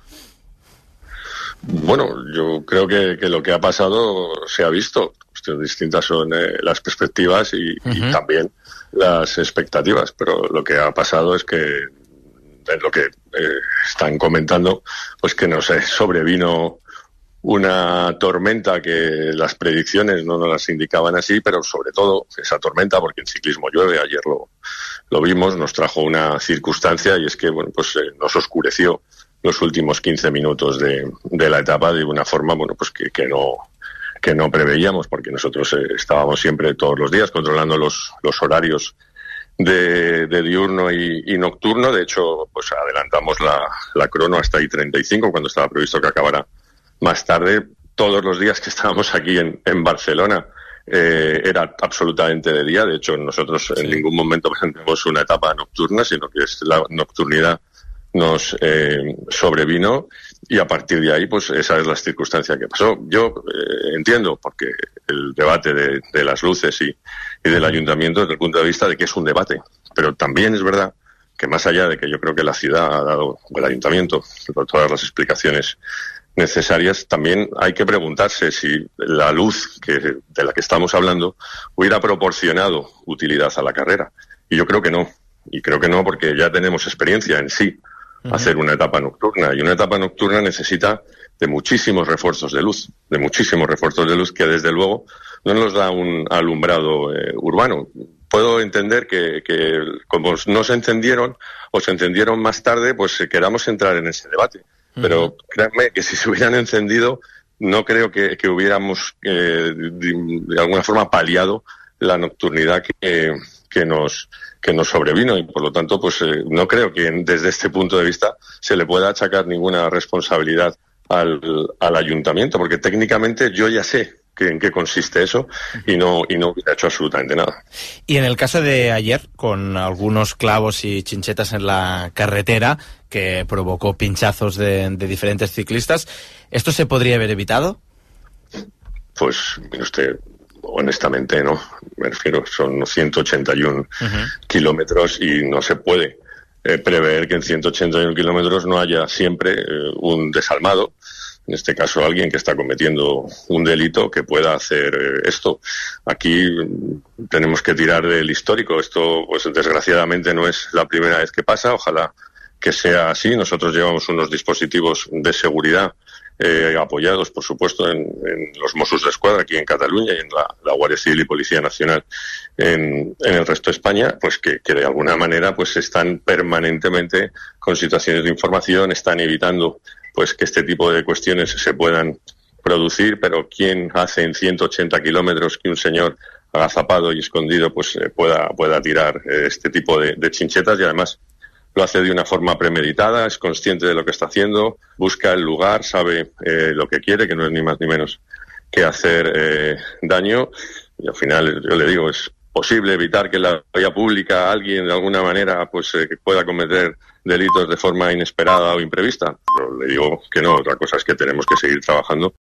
S6: Bueno, yo creo que lo que ha pasado se ha visto. Distintas son las perspectivas y también las expectativas, pero lo que ha pasado es que en lo que están comentando, pues que nos sobrevino una tormenta que las predicciones no nos las indicaban así, pero sobre todo esa tormenta, porque en ciclismo llueve, ayer lo vimos, nos trajo una circunstancia y es que nos oscureció los últimos 15 minutos de la etapa de una forma que no preveíamos, porque nosotros estábamos siempre todos los días controlando los horarios de diurno y nocturno. De hecho, pues adelantamos la crono hasta I-35 cuando estaba previsto que acabara más tarde. Todos los días que estábamos aquí en Barcelona era absolutamente de día. De hecho, nosotros en ningún momento presentamos una etapa nocturna, sino que la nocturnidad nos sobrevino y a partir de ahí, pues esa es la circunstancia que pasó. Yo entiendo, porque el debate de las luces y del ayuntamiento desde el punto de vista de que es un debate, pero también es verdad que más allá de que yo creo que la ciudad ha dado, el ayuntamiento, por todas las explicaciones necesarias, también hay que preguntarse si la luz de la que estamos hablando hubiera proporcionado utilidad a la carrera. Y yo creo que no. Y creo que no porque ya tenemos experiencia en sí hacer una etapa nocturna. Y una etapa nocturna necesita muchísimos refuerzos de luz, que desde luego no nos da un alumbrado urbano. Puedo entender que como no se encendieron o se encendieron más tarde, pues queramos entrar en ese debate. Pero créanme que si se hubieran encendido, no creo que hubiéramos de alguna forma paliado la nocturnidad que nos sobrevino, y por lo tanto pues no creo que desde este punto de vista se le pueda achacar ninguna responsabilidad al ayuntamiento, porque técnicamente yo ya sé en qué consiste eso y no hubiera hecho absolutamente nada.
S2: Y en el caso de ayer, con algunos clavos y chinchetas en la carretera que provocó pinchazos de diferentes ciclistas, ¿esto se podría haber evitado?
S6: Pues, mire usted, honestamente no. Me refiero, son 181 kilómetros y no se puede prever que en 181 kilómetros no haya siempre un desalmado, en este caso alguien que está cometiendo un delito que pueda hacer esto. Aquí tenemos que tirar del histórico. Esto, pues desgraciadamente no es la primera vez que pasa, ojalá que sea así. Nosotros llevamos unos dispositivos de seguridad apoyados, por supuesto, en los Mossos d'Esquadra aquí en Cataluña y en la Guardia Civil y Policía Nacional en el resto de España, pues que de alguna manera pues están permanentemente con situaciones de información, están evitando pues que este tipo de cuestiones se puedan producir, pero ¿quién hace en 180 kilómetros que un señor agazapado y escondido pues pueda tirar este tipo de chinchetas? Y además lo hace de una forma premeditada, es consciente de lo que está haciendo, busca el lugar, sabe lo que quiere, que no es ni más ni menos que hacer daño, y al final, yo le digo, es posible evitar que en la vía pública alguien de alguna manera pues pueda cometer delitos de forma inesperada o imprevista. Pero le digo que no, otra cosa es que tenemos que seguir trabajando